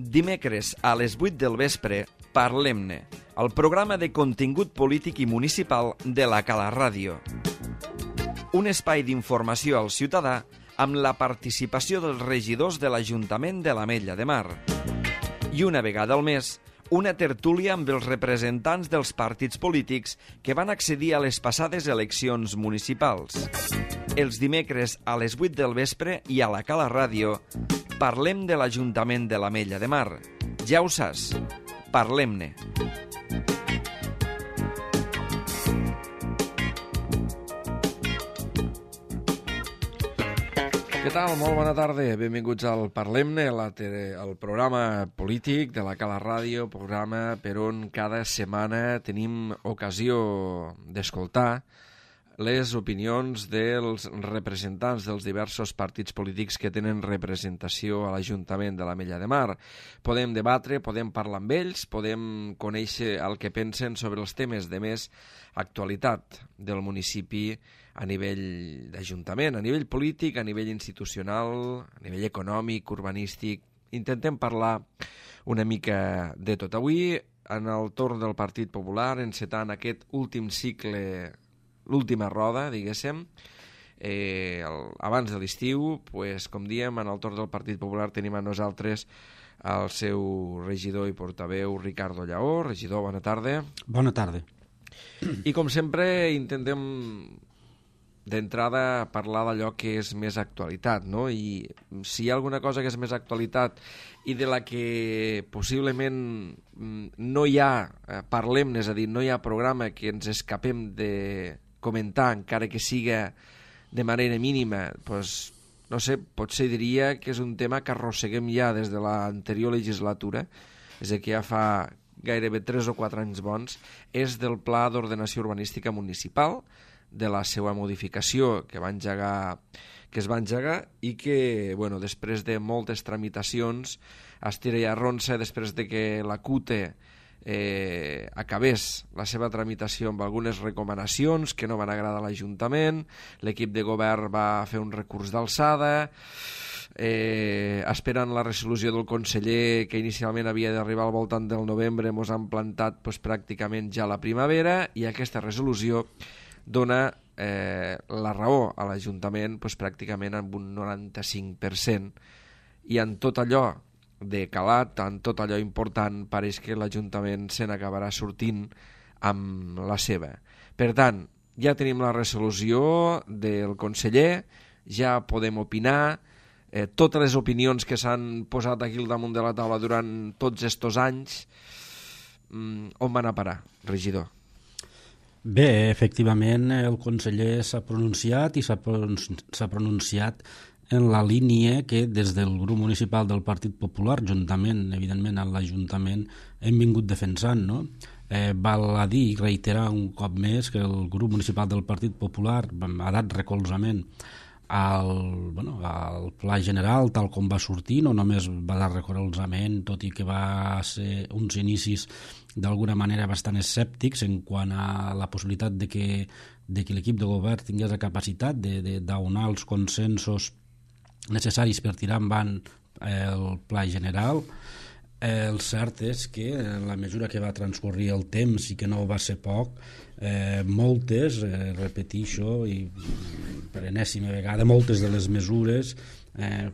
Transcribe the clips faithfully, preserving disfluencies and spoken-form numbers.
Dimecres a les vuit del vespre, Parlem-ne, el programa de contingut polític i municipal de la Cala Ràdio. Un espai d'informació al ciutadà amb la participació dels regidors de l'Ajuntament de l'Ametlla de Mar. I una vegada al mes, una tertúlia amb els representants dels partits polítics que van accedir a les passades eleccions municipals. Els dimecres a les vuit del vespre i a la Cala Ràdio parlem de l'Ajuntament de l'Ametlla de Mar. Ja ho saps, parlem-ne. Què tal? Molt bona tarda. Benvinguts al Parlem-ne, el programa polític de la Cala Ràdio, programa per on cada setmana tenim ocasió d'escoltar les opinions dels representants dels diversos partits polítics que tenen representació a l'Ajuntament de l'Ametlla de Mar. Podem debatre, podem parlar amb ells, podem conèixer el que pensen sobre els temes de més actualitat del municipi a nivell d'Ajuntament, a nivell polític, a nivell institucional, a nivell econòmic, urbanístic. Intentem parlar una mica de tot. Avui, en el torn del Partit Popular, encetant aquest últim cicle, l'última roda, diguéssim, eh, el, abans de l'estiu, pues, com diem, en el torn del Partit Popular tenim a nosaltres el seu regidor i portaveu Ricardo Lleó. Regidor, bona tarda. Bona tarda. I com sempre intentem d'entrada parlar d'allò que és més actualitat, no? I si hi ha alguna cosa que és més actualitat i de la que possiblement no hi ha, eh, parlem-ne, és a dir, no hi ha programa que ens escapem de comentar, encara que siga de manera mínima, doncs, no sé, potser diria que és un tema que arrosseguem ja des de l'anterior legislatura, és a dir, que ja fa gairebé tres o quatre anys bons, és del Pla d'Ordenació Urbanística Municipal, de la seva modificació que va engegar, que es va engegar i que, bueno, després de moltes tramitacions, estira i arronsa, després de que la CUTE eh, acabés la seva tramitació amb algunes recomanacions que no van agradar a l'Ajuntament, l'equip de govern va fer un recurs d'alçada, eh, esperant la resolució del conseller que inicialment havia d'arribar al voltant del novembre, ens han plantat pues, pràcticament ja la primavera, i aquesta resolució dona eh, la raó a l'Ajuntament pues, pràcticament amb un noranta-cinc per cent, i en tot allò de calat, en tot allò important, pareix que l'Ajuntament se n'acabarà sortint amb la seva. Per tant, ja tenim la resolució del conseller, ja podem opinar, eh, totes les opinions que s'han posat aquí al damunt de la taula durant tots estos anys, mm, on van a parar, regidor? Bé, efectivament, el conseller s'ha pronunciat i s'ha pronunciat en la línia que des del grup municipal del Partit Popular, juntament, evidentment, amb l'Ajuntament, hem vingut defensant, no? Eh, val a dir i reiterar un cop més que el grup municipal del Partit Popular ha dat recolzament al, bueno, al pla general tal com va sortir, no només va dar recolzament, tot i que va ser uns inicis d'alguna manera bastant escèptics en quant a la possibilitat de que, de que l'equip de govern tingués la capacitat d'aunar els consensos necessaris per tirar endavant el pla general. Eh, el cert és que en la mesura que va transcorrir el temps i que no va ser poc, eh, moltes, eh, repetixo i per enèsima vegada, moltes de les mesures eh,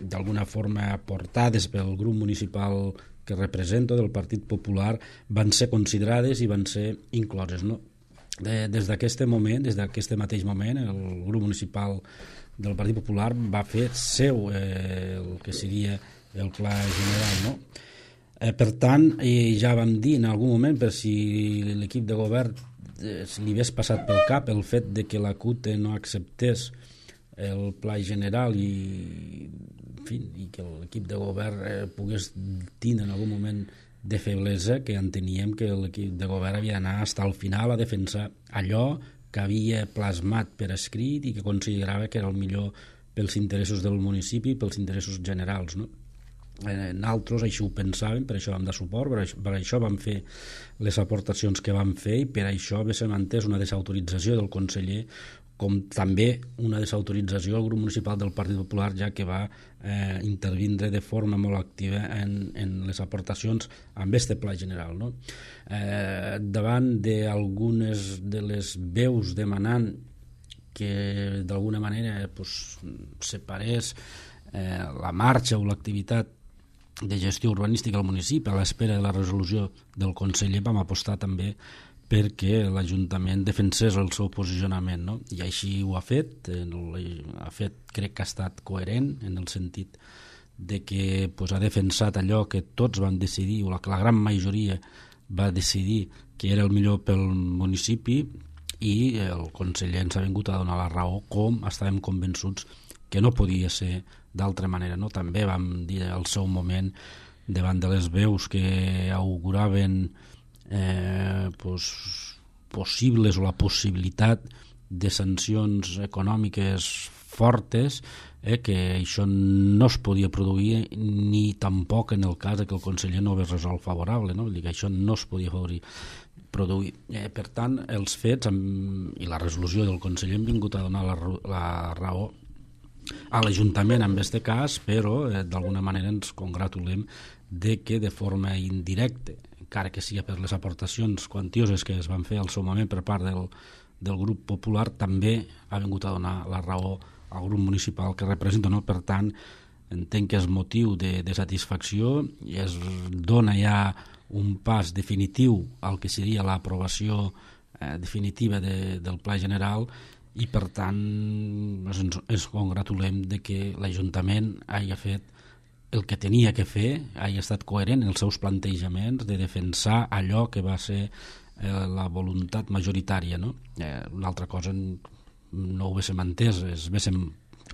d'alguna forma aportades pel grup municipal que represento del Partit Popular van ser considerades i van ser incloses, no? De, des d'aquest moment, des d'aquest mateix moment, el grup municipal del Partit Popular va fer seu eh, el que seria el pla general, no? Eh, per tant, eh, ja vam dir en algun moment, per si l'equip de govern eh, li hagués passat pel cap el fet de que la CUTE no acceptés el pla general i, en fi, i que l'equip de govern eh, pogués tindre en algun moment de feblesa, que enteníem que l'equip de govern havia d'anar fins al final a defensar allò que havia plasmat per escrit i que considerava que era el millor pels interessos del municipi i pels interessos generals, no? Eh, nosaltres això ho pensàvem, per això vam dar suport, per això, per això vam fer les aportacions que vam fer i per això va ser mantès una desautorització del conseller com també una desautorització al grup municipal del Partit Popular, ja que va eh, intervindre de forma molt activa en, en les aportacions amb este pla general, no? Eh, davant d'algunes de les veus demanant que d'alguna manera pues, separés eh, la marxa o l'activitat de gestió urbanística al municipi a l'espera de la resolució del conseller, vam apostar també perquè l'Ajuntament defensés el seu posicionament, no? I així ho ha fet, ha fet, crec que ha estat coherent en el sentit de que pues, ha defensat allò que tots van decidir, o la, la gran majoria va decidir que era el millor pel municipi, i el conseller ens ha vingut a donar la raó, com estàvem convençuts que no podia ser d'altra manera, no? També vam dir al seu moment, davant de les veus que auguraven Eh, pues, possibles o la possibilitat de sancions econòmiques fortes, eh, que això no es podia produir ni tampoc en el cas que el conseller no hagués resolt favorable, no? Vull dir que això no es podia produir. Eh, per tant, els fets amb, i la resolució del conseller han vingut a donar la, la raó a l'Ajuntament en aquest cas, però eh, d'alguna manera ens congratulem de que de forma indirecta, encara que sigui per les aportacions quantioses que es van fer al seu moment per part del, del grup popular, també ha vingut a donar la raó al grup municipal que representa, no? Per tant, entenc que és motiu de, de satisfacció i es dona ja un pas definitiu al que seria l'aprovació eh, definitiva de, del Pla General, i per tant ens, ens congratulem de que l'Ajuntament hagi fet el que tenia que fer, hagi estat coherent en els seus plantejaments de defensar allò que va ser eh, la voluntat majoritària, no? Eh, una altra cosa no ho haguéssim entès, ens haguéssim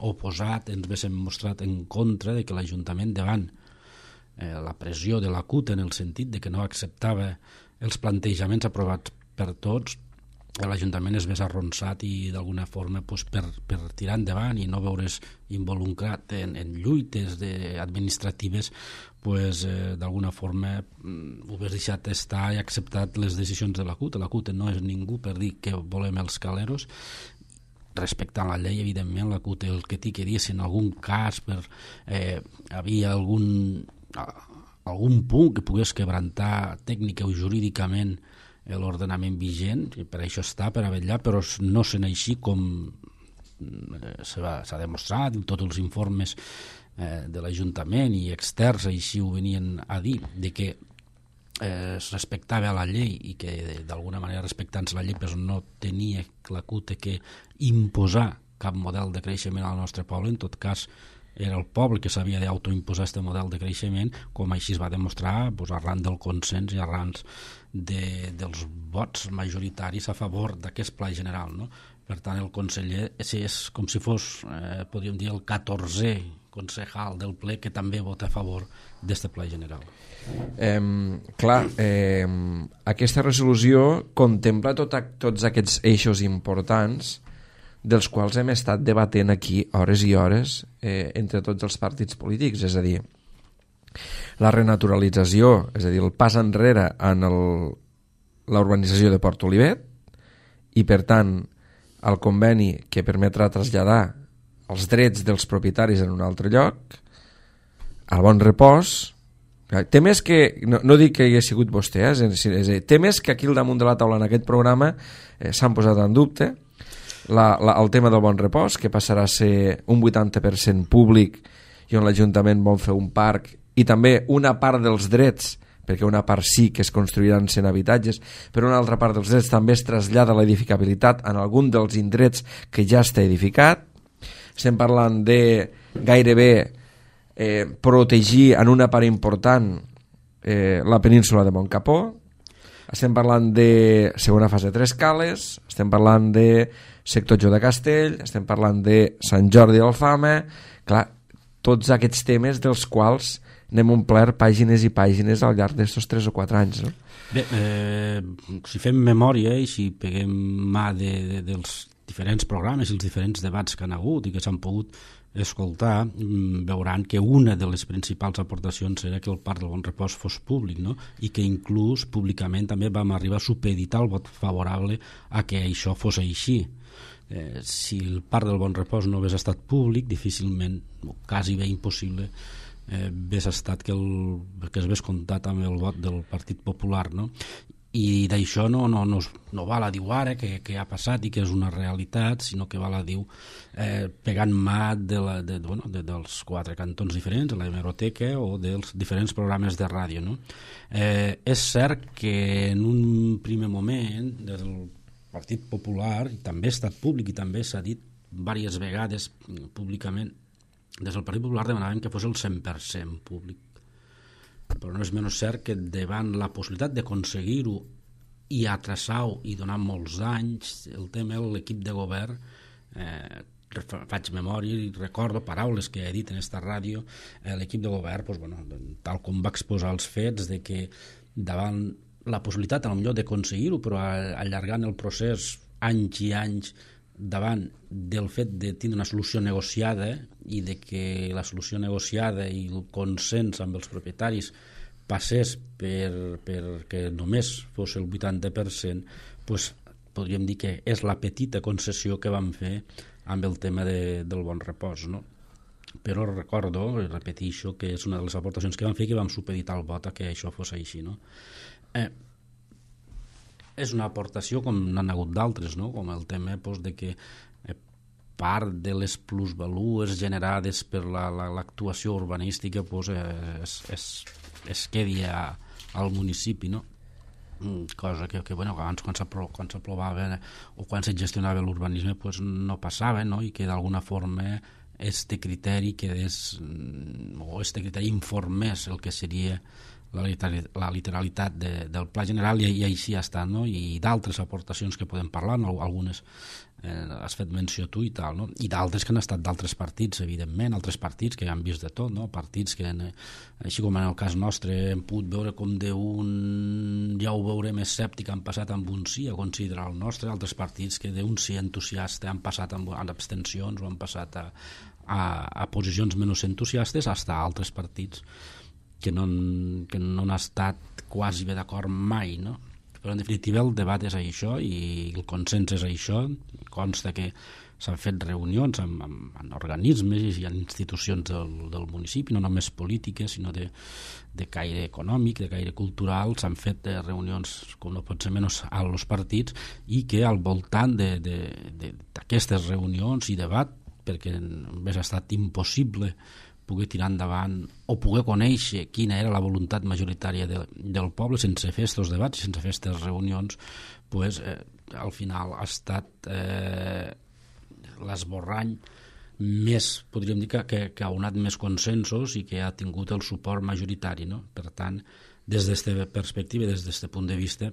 oposat, ens haguéssim mostrat en contra de que l'Ajuntament, davant eh, la pressió de la C U T en el sentit de que no acceptava els plantejaments aprovats per tots, l'Ajuntament es vés arronsat i d'alguna forma pues, per, per tirar endavant i no veure's involucrat en, en lluites de, administratives, pues, eh, d'alguna forma mm, ho hagués deixat estar i acceptat les decisions de la C U T. La C U T no és ningú per dir que volem els caleros, respectant la llei, evidentment, la C U T el que té que dir, si en algun cas per, eh, havia algun, algun punt que pogués quebrantar tècnica o jurídicament l'ordenament vigent, i per això està, per a vetllar, però no sent així com s'ha demostrat, tots els informes eh, de l'Ajuntament i externs així ho venien a dir, de que eh, es respectava la llei i que d'alguna manera respectant-se la llei però no tenia la C U T que imposar cap model de creixement al nostre poble, en tot cas era el poble que s'havia d'autoimposar aquest model de creixement, com així es va demostrar pues, arran del consens i arran de, dels vots majoritaris a favor d'aquest pla general, no? Per tant, el conseller és, és com si fos, eh, podríem dir, el catorzè concejal del ple que també vota a favor d'aquest pla general. Eh, clar, eh, aquesta resolució contempla tot, tots aquests eixos importants dels quals hem estat debatent aquí hores i hores eh, entre tots els partits polítics, és a dir, la renaturalització, és a dir, el pas enrere en la urbanització de Port Olivet i, per tant, el conveni que permetrà traslladar els drets dels propietaris en un altre lloc, al Bon Repòs. Té més que, no, no dic que hi ha sigut vostè, eh, és, és, és, té més que aquí al damunt de la taula en aquest programa eh, s'han posat en dubte La, la, el tema del Bon Repòs, que passarà a ser un vuitanta per cent públic i on l'Ajuntament vol fer un parc i també una part dels drets, perquè una part sí que es construiran cent habitatges, però una altra part dels drets també es trasllada a l'edificabilitat en algun dels indrets que ja està edificat. Estem parlant de gairebé eh, protegir en una part important eh, la península de Montcapó. Estem parlant de segona fase de Tres Cales, estem parlant de sector Jo de Castell, estem parlant de Sant Jordi d'Alfama. Clar, tots aquests temes dels quals n'hem omplert pàgines i pàgines al llarg d'estos tres o quatre anys, no? Bé, eh, si fem memòria i si peguem mà de, de, dels diferents programes i els diferents debats que han hagut i que s'han pogut escoltar, veuran que una de les principals aportacions era que el Parc del Bon Repòs fos públic, no? I que inclús públicament també vam arribar a supeditar el vot favorable a que això fos així. Eh, si el Parc del Bon Repòs no hagués estat públic, difícilment, o quasi bé impossible, eh, hagués estat que, el, que es hagués comptat amb el vot del Partit Popular, no? I d'això no, no, no, no val a dir ara que, que ha passat i que és una realitat, sinó que val a dir eh, pegant mà de la, de, bueno, de, dels quatre cantons diferents, de la hemeroteca o dels diferents programes de ràdio, no? Eh, és cert que en un primer moment des del Partit Popular, i també ha estat públic i també s'ha dit diverses vegades públicament, des del Partit Popular demanaven que fos el cent per cent públic, però no és menys cert que davant la possibilitat d'aconseguir-ho i atrasar-ho i donar molts anys, el tema de l'equip de govern, eh, faig memòria i recordo paraules que he dit en esta ràdio, eh, l'equip de govern, doncs, bueno, tal com va exposar els fets, de que davant la possibilitat a lo millor d'aconseguir-ho, però allargant el procés anys i anys davant del fet de tindre una solució negociada i de que la solució negociada i el consens amb els propietaris passés per, per que només fos el vuitanta per cent, doncs podríem dir que és la petita concessió que vam fer amb el tema de, del Bon Repòs, no? Però recordo, repeteixo, que és una de les aportacions que vam fer, que vam supeditar el vot a que això fos així, no? Eh, és una aportació com n'han hagut d'altres, no? Com el tema doncs, de que eh, part de les plusvalues generades per la, la, l'actuació urbanística doncs, eh, es, es, es quedi a, al municipi, no? Cosa que, que bueno, abans quan s'aprovava o quan se gestionava l'urbanisme doncs, no passava, no? I que d'alguna forma este criteri quedés, o este criteri informés el que seria la, literal, la literalitat de, del Pla General, i, i així ha estat, no? I d'altres aportacions que podem parlar, no? Algunes eh, has fet menció tu i tal, no? I d'altres que han estat d'altres partits, evidentment, altres partits que han vist de tot, no? Partits que, així com en el cas nostre, hem pogut veure com d'un, ja ho veurem, escèptic, han passat amb un sí a considerar el nostre, altres partits que d'un sí entusiasta han passat amb, amb abstencions o han passat a, a, a posicions menys entusiastes, fins a altres partits que no, que no han estat quasi bé d'acord mai, no? Però en definitiva el debat és això i el consens és això. Consta que s'han fet reunions amb, amb, amb organismes i en institucions del, del municipi, no només polítiques, sinó de, de caire econòmic, de caire cultural. S'han fet reunions, com no pot ser menys, a los partits, i que al voltant d'aquestes reunions i debat, perquè hauria estat impossible poder tirar endavant o poder conèixer quina era la voluntat majoritària de, del poble sense fer aquests debats, sense fer aquestes reunions, pues, eh, al final ha estat eh, l'esborrany més, podríem dir, que, que ha unat més consensos i que ha tingut el suport majoritari, no? Per tant, des d'aquesta perspectiva, des d'aquest punt de vista,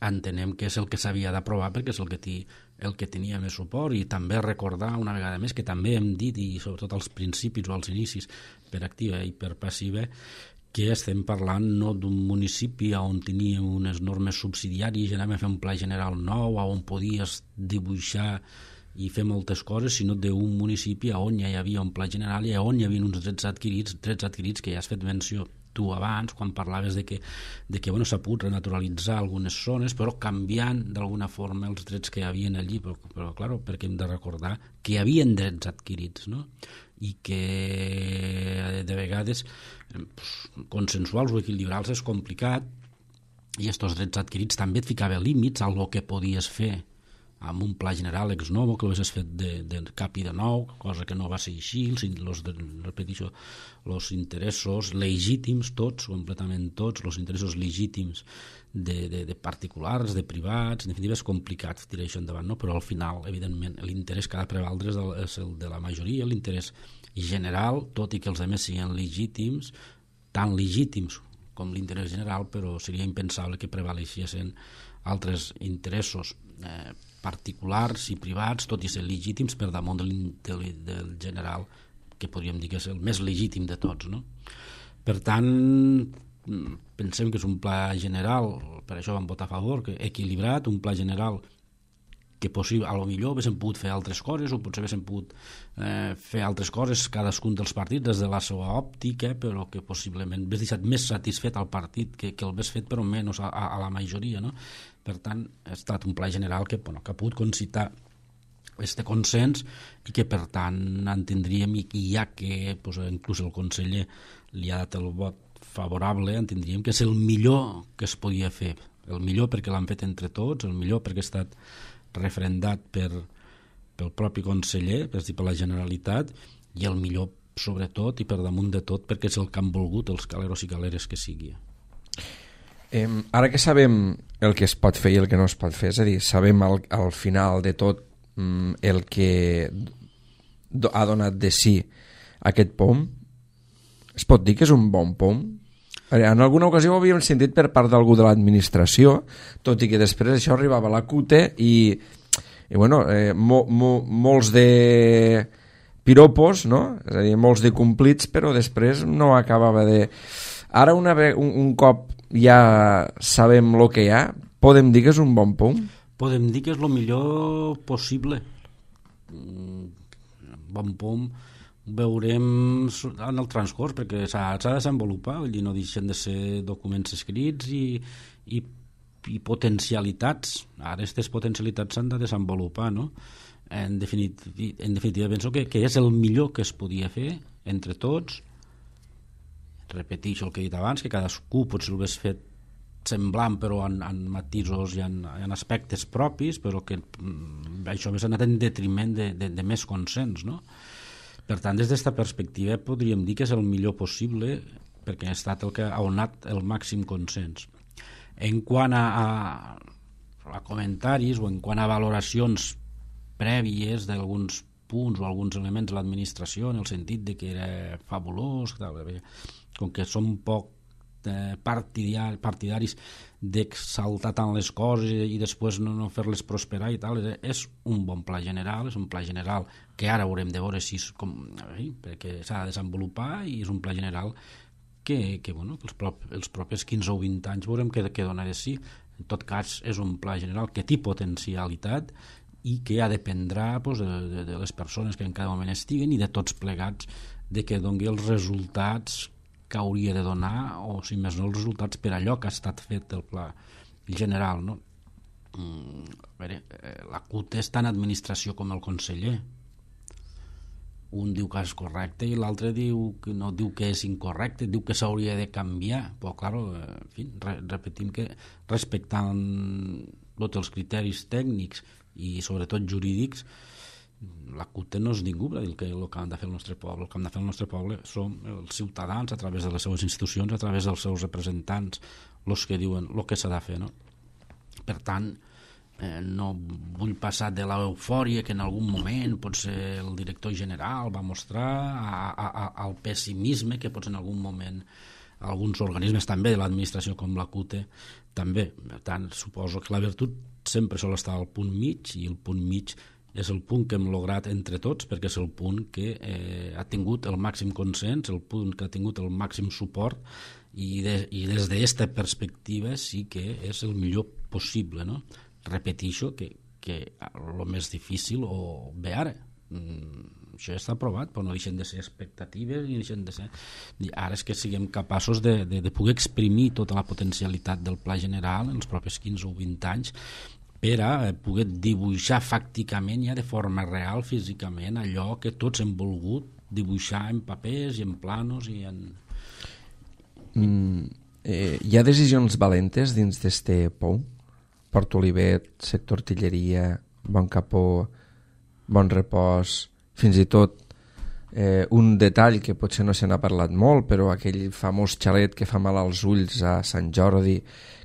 entenem que és el que s'havia d'aprovar perquè és el que, ti, el que tenia més suport. I també recordar una vegada més que també hem dit, i sobretot als principis o als inicis, per activa i per passiva, que estem parlant no d'un municipi on teníem unes normes subsidiàries i anàvem a fer un pla general nou on podies dibuixar i fer moltes coses, sinó d'un municipi on ja hi havia un pla general i on hi havia uns drets adquirits, drets adquirits que ja has fet menció tu abans, quan parlaves de que, de que bueno, s'ha pogut renaturalitzar algunes zones, però canviant d'alguna forma els drets que hi havia allí, però, però clar, perquè hem de recordar que hi havia drets adquirits, no? I que de vegades pues, consensuals o equilibrals és complicat, i aquests drets adquirits també et ficava límits a lo que podies fer amb un pla general ex novo, que l'haguessis fet de, de cap i de nou, cosa que no va ser així, els, repeteixo, els interessos legítims, tots, completament tots, els interessos legítims de, de, de particulars, de privats, en definitiva és complicat tirar això endavant, no? Però al final, evidentment, l'interès que ha de prevaldre és, del, és el de la majoria, l'interès general, tot i que els altres siguin legítims, tan legítims com l'interès general, però seria impensable que prevaleixessin altres interessos eh, particulars i privats, tot i ser legítims per damunt del, del, del general, que podríem dir que és el més legítim de tots, no? Per tant, pensem que és un pla general, per això vam votar a favor, que equilibrat, un pla general que possible, a lo millor haguéssim pogut fer altres coses o potser haguéssim pogut eh, fer altres coses cadascun dels partits des de la seva òptica, però que possiblement hagués deixat més satisfet al partit que, que el hagués fet, però menys a, a, a la majoria, no? Per tant, ha estat un pla general que, bueno, que ha pogut concitar este consens i que per tant entendríem, i ja que pues, inclús el conseller li ha dat el vot favorable, entendríem que és el millor que es podia fer, el millor perquè l'han fet entre tots, el millor perquè ha estat refrendat per, pel propi conseller, és a dir, per la Generalitat, i el millor sobretot i per damunt de tot perquè és el que han volgut els caleros i caleres que sigui. Eh, ara que sabem el que es pot fer i el que no es pot fer, és a dir, sabem al, al final de tot mm, el que do, ha donat de si aquest P O M, es pot dir que és un bon P O M? En alguna ocasió ho havíem sentit per part d'algú de l'administració, tot i que després això arribava a la C U T E i, i bueno, eh, mo, mo, molts de piropos, no? És a dir, molts de complits, però després no acabava de... Ara una ve, un, un cop ja sabem el que hi ha, podem dir que és un bon P O M? Podem dir que és el millor possible. Bon P O M veurem en el transcurs, perquè s'ha de desenvolupar, vull dir, no deixen de ser documents escrits i, i, i potencialitats. Ara aquestes potencialitats s'han de desenvolupar, no? En definitiva, en definitiva penso que, que és el millor que es podia fer entre tots. Repeteixo el que he dit abans, que cadascú potser ho hagués fet semblant però en, en matisos i en, en aspectes propis, però que mm, això hauria anat en detriment de, de, de més consens, no? Per tant, des d'aquesta perspectiva podríem dir que és el millor possible perquè ha estat el que ha donat el màxim consens. En quant a, a, a comentaris o en quant a valoracions prèvies d'alguns punts o alguns elements de l'administració en el sentit de que era fabulós, tal, com que som poc eh, partidar, partidaris d'exaltar tant les coses i, i després no, no fer-les prosperar i tal, és un bon pla general, és un pla general que ara haurem de veure si és com, eh, perquè s'ha de desenvolupar i és un pla general que, que, bueno, que els, prop, els propers quinze o vint anys veurem què, què dona de si. En tot cas, és un pla general que té potencialitat i que ha de dependrà pues, de, de, de les persones que en cada moment estiguen i de tots plegats de que doni els resultats que hauria de donar, o si més no els resultats per allò que ha estat fet el pla general, no? Mm, a veure, la C U T E és tant administració com el conseller. Un diu que és correcte i l'altre diu que no diu que és incorrecte, diu que s'hauria de canviar, però clar, en fi, re, repetim que respectant tots els criteris tècnics i sobretot jurídics, la C U T E no és ningú per dir que el que han de fer el nostre poble. El que han de fer el nostre poble són els ciutadans a través de les seves institucions, a través dels seus representants, els que diuen el que s'ha de fer, no? Per tant, eh, no vull passar de l'eufòria que en algun moment potser el director general va mostrar a, a, a, al pessimisme que potser en algun moment alguns organismes també de l'administració com la C U T E també. Per tant, suposo que la virtut sempre sol estar al punt mig i el punt mig és el punt que hem lograt entre tots perquè és el punt que eh, ha tingut el màxim consens, el punt que ha tingut el màxim suport i, de, i des d'aquesta perspectiva sí que és el millor possible, no? Repeteixo que, que el més difícil o bé ara mm, això ja està aprovat però no deixen de ser expectatives i deixen de ser... ara és que siguem capaços de, de, de poder exprimir tota la potencialitat del pla general en els propers quinze o vint anys per a poder dibuixar fàcticament ja de forma real, físicament, allò que tots hem volgut dibuixar en papers i en planos i en... Mm, eh, hi ha decisions valentes dins d'este P O M? Port Olivet, sector artilleria, Bon Capó, Bon Repòs, fins i tot eh, un detall que potser no se n'ha parlat molt, però aquell famós xalet que fa mal als ulls a Sant Jordi,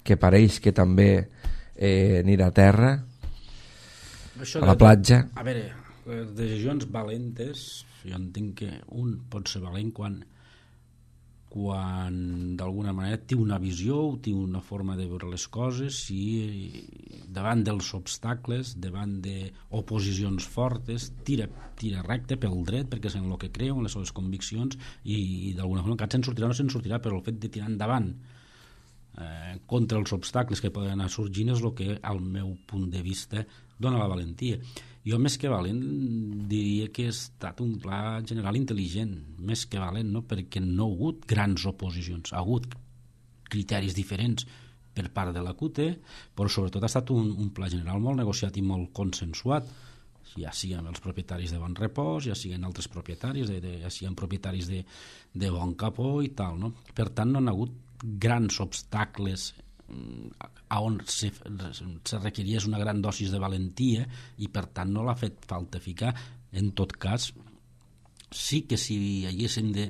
que pareix que també eh, anirà a terra, això a la platja. A veure, les decisions valentes, jo entenc que un pot ser valent quan quan d'alguna manera té una visió o té una forma de veure les coses i davant dels obstacles, davant d'oposicions fortes, tira, tira recte pel dret perquè és en el que creu, en les seves conviccions i, i d'alguna forma encara se'n sortirà o no se'n sortirà, però el fet de tirar endavant eh, contra els obstacles que poden anar sorgint és el que al meu punt de vista dona la valentia. Jo més que valent diria que ha estat un pla general intel·ligent, més que valent, no? Perquè no ha hagut grans oposicions, ha hagut criteris diferents per part de la C U T E, però sobretot ha estat un, un pla general molt negociat i molt consensuat. ja siguin els propietaris de Bon Repòs, ja siguin altres propietaris, de, de, ja siguin propietaris de, de Bon Capó i tal, no? Per tant, no han hagut grans obstacles a on se, se requeries una gran dosis de valentia i per tant no l'ha fet falta ficar. En tot cas, sí que si haguéssim de,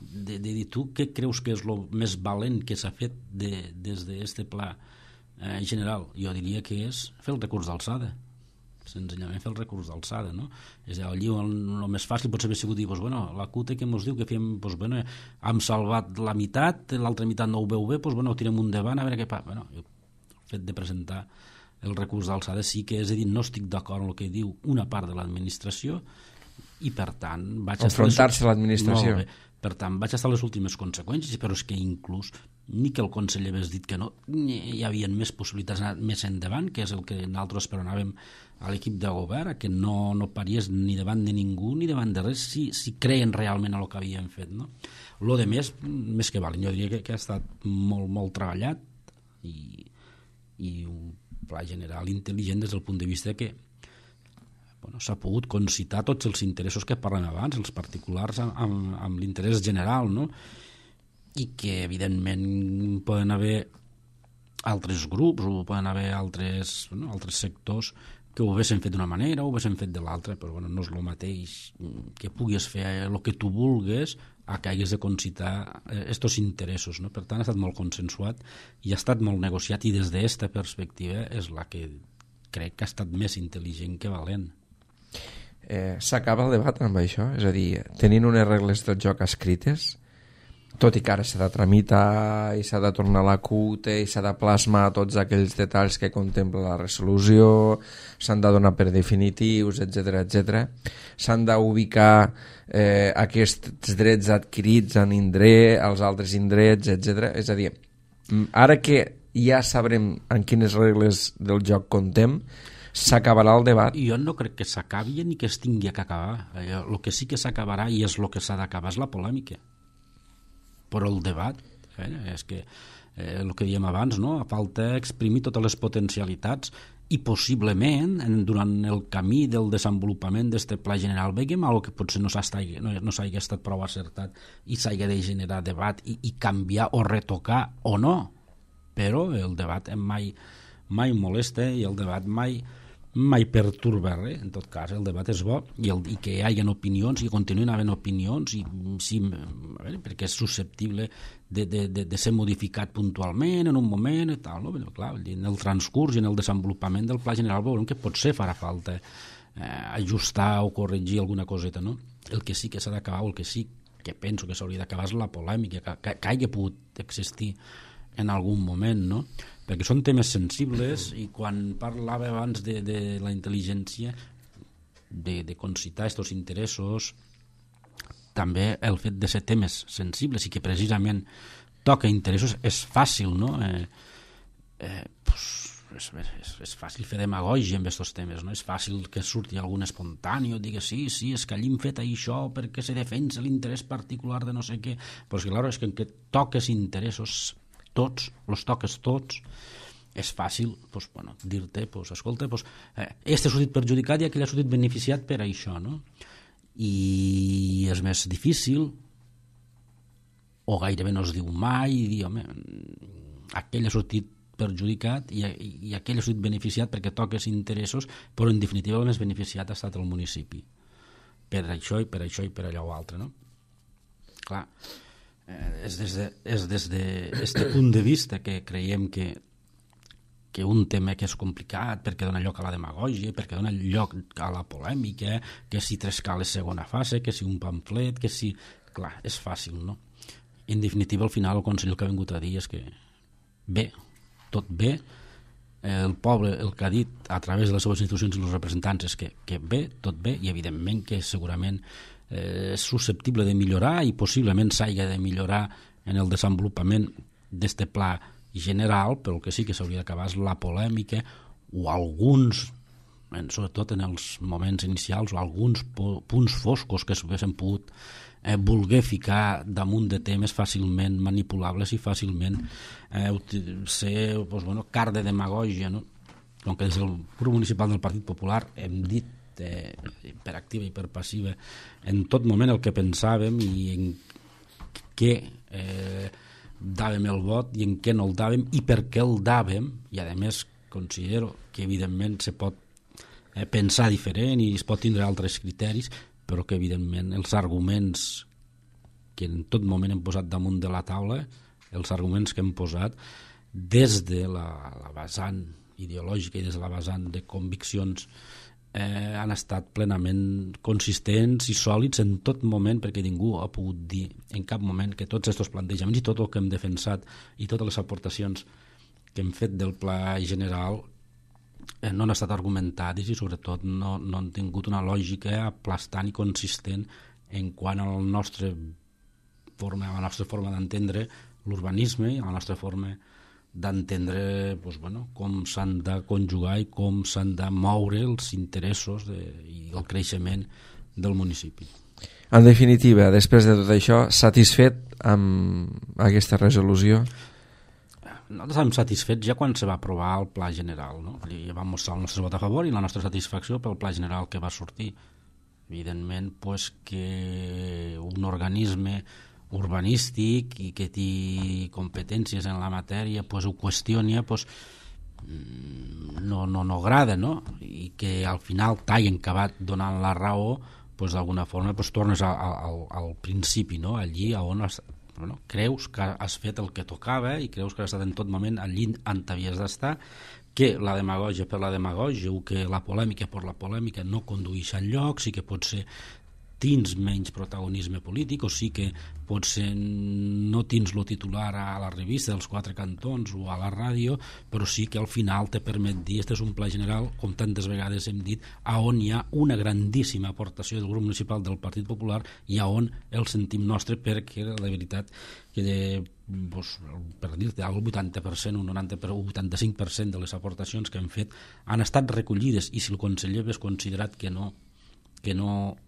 de, de dir tu què creus que és el més valent que s'ha fet de, des d'aquest pla eh, general, jo diria que és fer el recurs d'alçada, senzillament fer el recurs d'alçada, no? És a dir, allí el, el més fàcil potser haver sigut dir, pues, bueno, la C U T E que ens diu que fem, pues, bueno, hem salvat la meitat, l'altra meitat no ho veu bé, pues, bueno, ho tirem un davant a veure què fa. Bueno, el fet de presentar el recurs d'alçada sí que és a dir, no estic d'acord amb el que diu una part de l'administració i per tant vaig enfrontar-se a l'administració. Per tant, vaig estar a les últimes conseqüències, però és que inclús ni que el conseller hagués dit que no, hi havia més possibilitats d'anar més endavant, que és el que nosaltres esperonàvem a l'equip de govern, que no, no pariés ni davant de ningú ni davant de res, si, si creien realment a el que havien fet, no? Lo de més, més que valent, jo diria que, que ha estat molt, molt treballat i, i un pla general intel·ligent des del punt de vista que bueno, s'ha pogut concitar tots els interessos que parlem abans, els particulars amb, amb, amb l'interès general, no? I que evidentment poden haver altres grups o poden haver altres, no, altres sectors que ho haguessin fet d'una manera o ho haguessin fet de l'altra, però bueno, no és el mateix que puguis fer el que tu vulgues a que hagués de concitar aquests interessos, no? Per tant, ha estat molt consensuat i ha estat molt negociat i des d'aquesta perspectiva és la que crec que ha estat més intel·ligent que valent. Eh, s'acaba el debat amb això? És a dir, tenint unes regles del joc escrites, tot i que ara s'ha de tramitar i s'ha de tornar a la C U T E i s'ha de plasmar tots aquells detalls que contempla la resolució, s'han de donar per definitius, etcètera, etcètera. S'han d'ubicar eh, aquests drets adquirits en indret, als altres indrets, etcètera. És a dir, ara que ja sabrem en quines regles del joc contem, s'acabarà el debat? Jo no crec que s'acabi ni que es tingui que acabar. El que sí que s'acabarà i és el que s'ha d'acabar és la polèmica. Però el debat, eh, és que eh, el que dèiem abans, no? Falta exprimir totes les potencialitats i possiblement en, durant el camí del desenvolupament d'aquest pla general veiem alguna que potser no s'hagi no, no estat prou acertat i s'hagi de generar debat i, i canviar o retocar o no, però el debat mai, mai molesta i el debat mai mai perturba res. En tot cas el debat és bo i, el, i que hi hagi opinions i continuïn havent opinions i, sí, a veure, perquè és susceptible de, de, de, de ser modificat puntualment en un moment i tal, no? Però, clar, en el transcurs i en el desenvolupament del pla general veurem que potser farà falta eh, ajustar o corregir alguna coseta, no? El que sí que s'ha d'acabar o el que sí que penso que s'hauria d'acabar és la polèmica que, que, que hagi pogut existir en algun moment, no? Perquè són temes sensibles i quan parlava abans de, de la intel·ligència de, de concitar aquests interessos, també el fet de ser temes sensibles i que precisament toca interessos és fàcil, no? Eh, eh, pues, és, és, és fàcil fer demagògia amb aquests temes, no? És fàcil que surti algun espontani o digui sí, sí, és que allí hem fet això perquè se defensa l'interès particular de no sé què, però és que, clar, és que en què toques interessos tots, els toques tots, és fàcil pues, bueno, dir-te, pues, escolta, pues, eh, este ha sortit perjudicat i aquell ha sortit beneficiat per això, no? I és més difícil, o gairebé no es diu mai, i dir, home, aquell ha sortit perjudicat i, i, i aquell ha sortit beneficiat perquè toques interessos, però en definitiva el més beneficiat ha estat el municipi. Per això i per això i per allò o altre, no? Clar, és des de, és des de este punt de vista que creiem que, que un tema que és complicat perquè dona lloc a la demagògia, perquè dona lloc a la polèmica, que si tres cales segona fase, que si un pamflet, que si... Clar, és fàcil, no? En definitiva, al final, el Consell el que ha vingut a dir és que bé, tot bé, el poble el que ha dit a través de les seves institucions i els representants és que, que bé, tot bé, i evidentment que segurament és susceptible de millorar i possiblement s'hagi de millorar en el desenvolupament d'este pla general, però el que sí que s'hauria d'acabar és la polèmica o alguns, sobretot en els moments inicials, o alguns punts foscos que s'haguessin pogut eh, voler ficar damunt de temes fàcilment manipulables i fàcilment eh, ser pues, bueno, car de demagògia, no? Com que des del grup municipal del Partit Popular hem dit eh, per activa i per passiva, en tot moment el que pensàvem i en què eh, dàvem el vot i en què no el dàvem i per què el dàvem, i a més considero que evidentment se pot eh, pensar diferent i es pot tindre altres criteris, però que evidentment els arguments que en tot moment hem posat damunt de la taula, els arguments que hem posat des de la, la vessant ideològica i des de la vessant de conviccions eh, han estat plenament consistents i sòlids en tot moment, perquè ningú ha pogut dir en cap moment que tots aquests plantejaments i tot el que hem defensat i totes les aportacions que hem fet del pla general eh, no han estat argumentades i sobretot no, no han tingut una lògica aplastant i consistent en quant a la nostra forma, a la nostra forma d'entendre l'urbanisme i a la nostra forma d'entendre doncs, bueno, com s'han de conjugar i com s'han de moure els interessos de, i el creixement del municipi. En definitiva, després de tot això, satisfet amb aquesta resolució? Nosaltres estem satisfets ja quan se va aprovar el pla general, no? I vam mostrar el nostre vot a favor i la nostra satisfacció pel pla general que va sortir. Evidentment, pues, que un organisme urbanístic i que té competències en la matèria pues, ho qüestiona pues, no, no, no agrada, no? I que al final t'hagin acabat donant la raó pues, d'alguna forma pues, tornes al, al, al principi, no? Allí on has, bueno, creus que has fet el que tocava i creus que has estat en tot moment allí on havies d'estar, que la demagògia per la demagògia o que la polèmica per la polèmica no condueix enlloc, sí que pot ser tens menys protagonisme polític, o sí que potser no tens lo titular a la revista dels quatre cantons o a la ràdio, però sí que al final te permet dir, este és un pla general, com tantes vegades hem dit, a on hi ha una grandíssima aportació del grup municipal del Partit Popular i a on el sentim nostre, perquè la veritat que de, doncs, per dir-te, el vuitanta per cent, un noranta per cent, un vuitanta-cinc per cent de les aportacions que hem fet han estat recollides, i si el conseller hagués considerat que no que no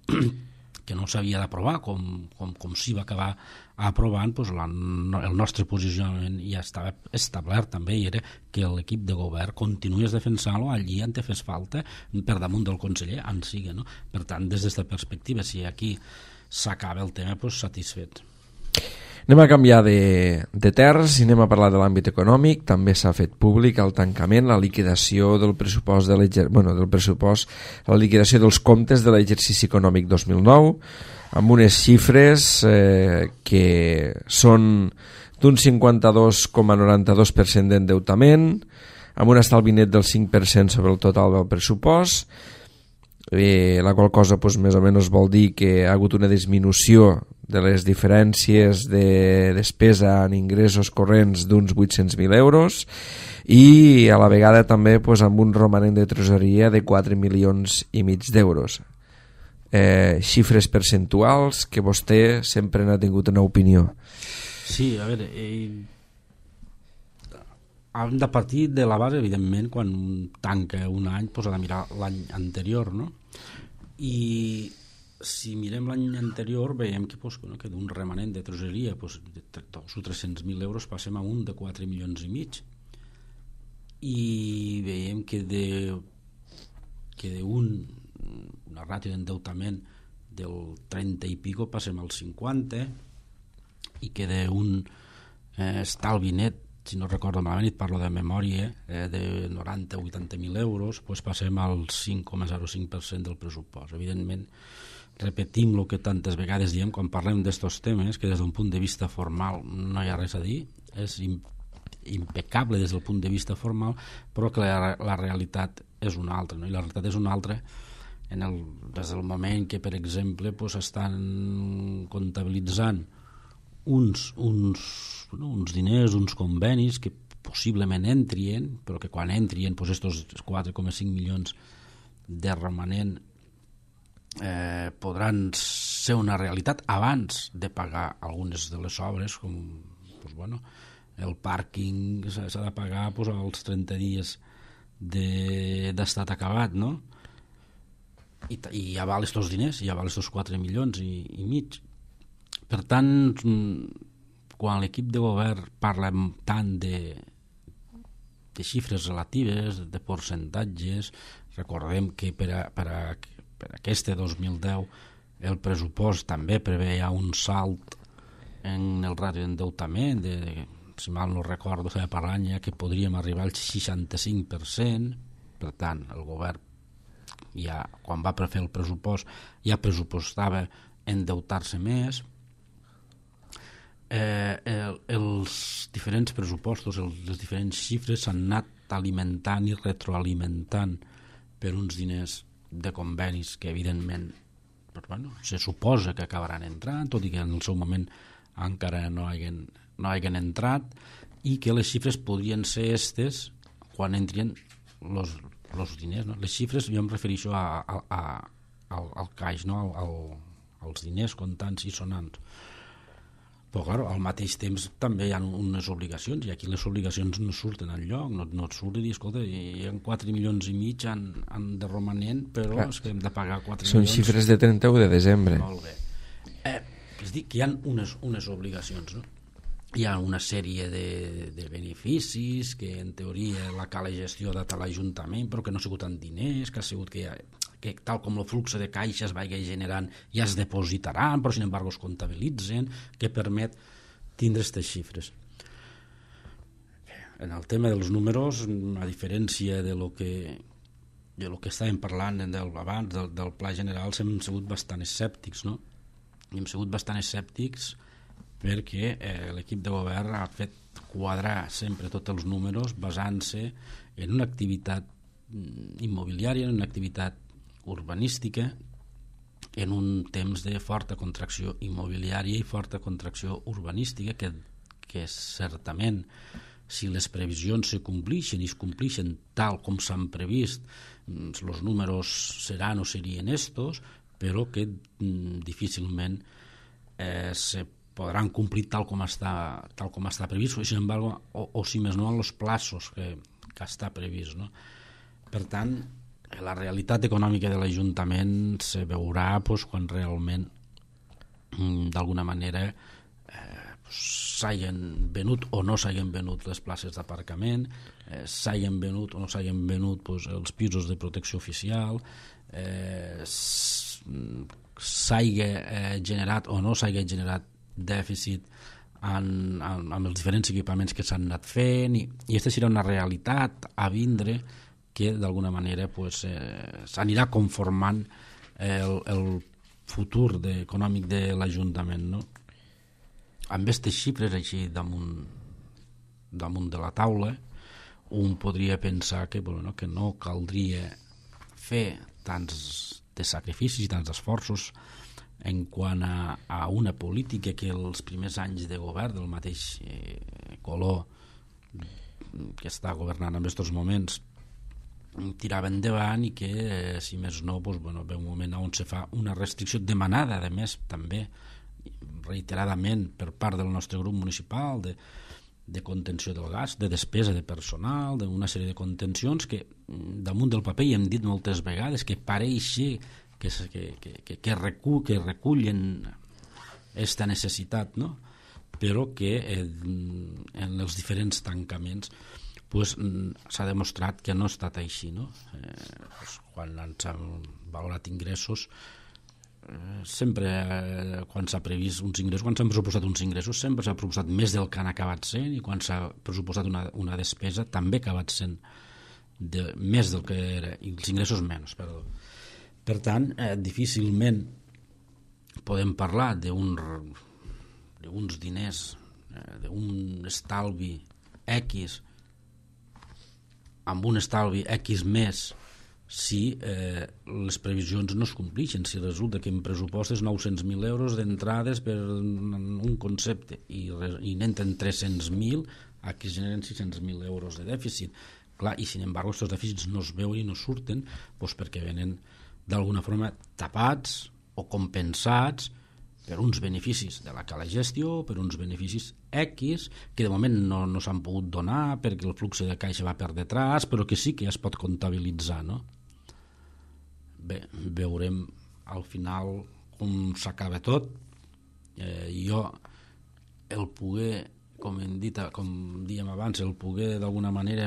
que no s'havia d'aprovar com, com, com s'hi va acabar aprovant, doncs la, el nostre posicionament ja estava establert també, i era que l'equip de govern continués defensant-lo allí on te fes falta per damunt del conseller, en siga, no? Per tant, des d'aquesta perspectiva, si aquí s'acaba el tema, doncs satisfet. Anem a canviar de, de terres i anem a parlar de l'àmbit econòmic. També s'ha fet públic el tancament, la liquidació del pressupost, de bueno, del pressupost, la liquidació dels comptes de l'exercici econòmic dos mil nou, amb unes xifres eh, que són d'un cinquanta-dos coma noranta-dos per cent d'endeutament, amb un estalvi net del cinc per cent sobre el total del pressupost, eh, la qual cosa pues, més o menys vol dir que ha hagut una disminució de les diferències de despesa en ingressos corrents d'uns vuit-cents mil euros i a la vegada també pues, amb un romanent de tresoreria de quatre milions i mig d'euros. Eh, xifres percentuals que vostè sempre n'ha tingut una opinió. Sí, a veure, eh, hem de partir de la base, evidentment, quan tanca un any pues, ha de mirar l'any anterior, no? I si mirem l'any anterior veiem que, pues, que d'un remanent de tresoreria pues, de dos o tres-cents mil euros passem a un de quatre milions i mig, i veiem que de que d'un una ràtio d'endeutament del trenta i pico passem al cinquanta, i que d'un eh, estalvi net, si no recordo malament, et parlo de memòria, eh, de noranta o vuitanta mil euros, pues passem al cinc coma zero cinc per cent del pressupost. Evidentment, repetim el que tantes vegades diem quan parlem d'estos temes, que des d'un punt de vista formal no hi ha res a dir, és impecable des del punt de vista formal, però que la, la realitat és una altra, no? I la realitat és una altra en el, des del moment que, per exemple, pues, estan comptabilitzant uns, uns, no, uns diners, uns convenis que possiblement entrien, però que quan entrien pues, estos quatre coma cinc milions de romanent eh, podran ser una realitat abans de pagar algunes de les obres, com pues, bueno, el pàrquing s'ha de pagar pues, als trenta dies d'estat de, acabat, no? I, i ja val estos diners, ja val estos quatre milions i, i mig. Per tant, quan l'equip de govern parla tant de, de xifres relatives, de percentatges, recordem que per a, per a, per aquest dos mil deu el pressupost també preveia un salt en el ràdio d'endeutament de, si mal no recordo, per l'any que podríem arribar al seixanta-cinc per cent. Per tant, el govern ja, quan va prefer el pressupost, ja pressupostava endeutar-se més. Eh, el, els diferents pressupostos, el, les diferents xifres s'han anat alimentant i retroalimentant per uns diners de convenis que evidentment però, bueno, se suposa que acabaran entrant, tot i que en el seu moment encara no hagin, no hagin entrat, i que les xifres podrien ser estes quan entrien los, los diners, no? Les xifres, jo em refereixo a, a, a, al, al caix, no? al, al, als diners comptants i sonants. Però, clar, al mateix temps també hi ha unes obligacions, i aquí les obligacions no surten enlloc, no, no et surt i dir, escolta, hi ha quatre milions i mig en, en de romanent, però clar, és que hem de pagar quatre són milions. Són xifres de trenta u de desembre. Molt bé. Eh, és dir, que hi ha unes, unes obligacions, no? Hi ha una sèrie de, de beneficis que en teoria la cala gestió ha dat a l'Ajuntament, però que no ha sigut en diners, que ha sigut que, ha, que tal com el flux de caixa es vagi generant ja es depositaran, però sin embargo es comptabilitzen, que permet tindre aquestes xifres. En el tema dels números, a diferència de lo que de lo que estàvem parlant del, abans del, del pla general, hem sigut bastant escèptics, no? I hem sigut bastant escèptics perquè eh, l'equip de govern ha fet quadrar sempre tots els números basant-se en una activitat immobiliària, en una activitat urbanística, en un temps de forta contracció immobiliària i forta contracció urbanística que, que certament, si les previsions se complixen i es complixen tal com s'han previst, els números seran o serien estos, però que mm, difícilment eh, se podran complir tal com està, tal com està previst, o, sin embargo, o, o si més no en els plaços que, que està previst, no? Per tant, la realitat econòmica de l'Ajuntament se veurà pues, quan realment d'alguna manera eh, s'hagin venut o no s'hagin venut les places d'aparcament, eh, s'hagin venut o no s'hagin venut pues, els pisos de protecció oficial, eh, s'hagi eh, generat o no s'hagi generat dèficit en, en, en els diferents equipaments que s'han anat fent, i, i aquesta serà una realitat a vindre que d'alguna manera pues, eh, s'anirà conformant el, el futur de, econòmic de l'Ajuntament, no? Amb aquestes xifres així damunt, damunt de la taula, un podria pensar que, bueno, que no caldria fer tants de sacrificis i tants esforços en quant a, a una política que els primers anys de govern del mateix eh, color que està governant en aquests moments tirava endavant, i que eh, si més no doncs, bueno, ve un moment on se fa una restricció demanada a més també reiteradament per part del nostre grup municipal de, de contenció del gas, de despesa de personal, d'una sèrie de contencions que damunt del paper, i hem dit moltes vegades que pareix que, que, que, que, recull, que recullen aquesta necessitat, no? Però que eh, en els diferents tancaments pues, s'ha demostrat que no ha estat així, no? Eh, pues, quan s'han valorat ingressos, eh, sempre eh, quan s'ha previst uns ingressos, quan s'han pressupostat uns ingressos, sempre s'ha pressupostat més del que han acabat sent, i quan s'ha pressupostat una, una despesa també ha acabat sent de, més del que era, i els ingressos menys, perdó. Per tant, eh, difícilment podem parlar d'un d'uns diners, eh, d'un estalvi X, amb un estalvi X més, si eh, les previsions no es complixen, si resulta que en pressupostes nou-cents mil euros d'entrades per un concepte i, i n'entren tres-cents mil, aquí es generen sis-cents mil euros de dèficit. Clar, i sin embargo aquests dèficits no es veuen i no surten doncs perquè venen d'alguna forma tapats o compensats per uns beneficis de la cala gestió, per uns beneficis X, que de moment no, no s'han pogut donar perquè el flux de caixa va per detrás, però que sí que ja es pot comptabilitzar, no? Bé, veurem al final com s'acaba tot. Eh, jo el poder com hem dit, com dèiem abans, el poder d'alguna manera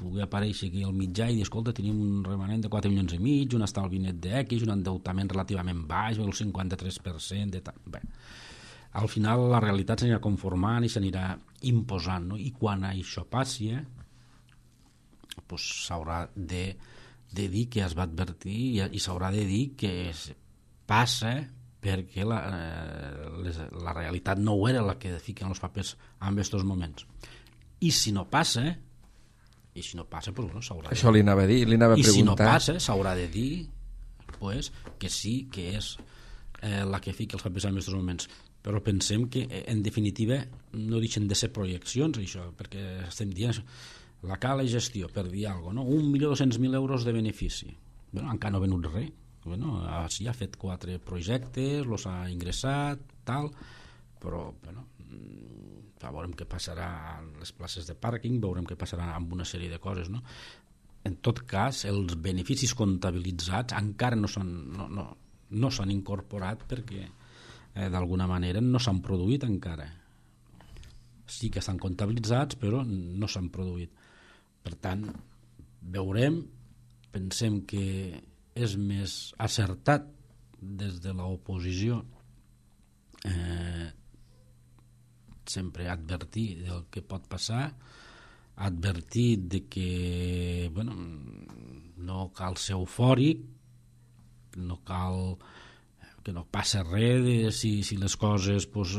poder aparèixer aquí al mitjà i dir, escolta, tenim un remanent de quatre milions i mig, un estalvi net d'X, un endeutament relativament baix, el cinquanta-tres per cent de tal. Bé, al final la realitat s'anirà conformant i s'anirà imposant, no? I quan això passi, eh, pues s'haurà de, de dir que es va advertir i, i s'haurà de dir que passa perquè la, eh, les, la realitat no ho era la que fiquen els papers en aquests moments. I si no passa, i si no passa, pues, bueno, s'haurà Això li anava a dir, li anava a I preguntar. si no passa, s'haurà de dir pues, que sí, que és eh, la que fica els papers en aquests moments. Però pensem que, en definitiva, no deixen de ser projeccions, això, perquè estem dient la cala gestió, per dir alguna cosa, no? un milió dos-cents mil euros de benefici. Bueno, encara no ha venut res. Bueno, sí, ha fet quatre projectes, los ha ingressat, tal, però bueno, veurem què passarà en les places de pàrquing, veurem què passarà amb una sèrie de coses, no? En tot cas, els beneficis comptabilitzats encara no s'han no, no, no s'han incorporat perquè eh, d'alguna manera no s'han produït encara. Sí que estan comptabilitzats, però no s'han produït. Per tant, veurem, pensem que és més acertat des de l'oposició eh, sempre advertir del que pot passar, advertir de que bueno, no cal ser eufòric, no cal que no passa res de si, si les coses pues,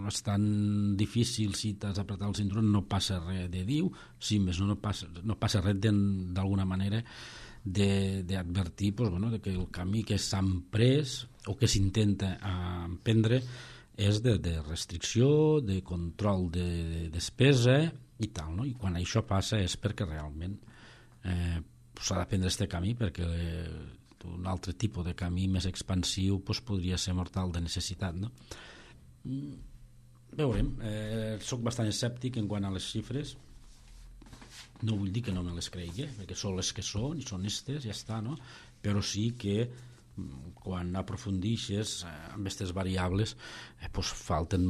estan difícils, si t'has d'apretar el cinturó no passa res de diu, sí, més no, no, passa, no passa res d'alguna manera d'advertir pues, bueno, de que el camí que s'han pres o que s'intenta emprendre és de, de restricció, de control de, de despesa i tal, no? I quan això passa és perquè realment eh, s'ha de prendre aquest camí, perquè eh, un altre tipus de camí més expansiu pues, podria ser mortal de necessitat, no? Veurem, eh, soc bastant escèptic en quant a les xifres. No vull dir que no me les cregui, perquè són les que són i són estes, ja està, no? Però sí que quan aprofundixes amb aquestes variables eh, pues falten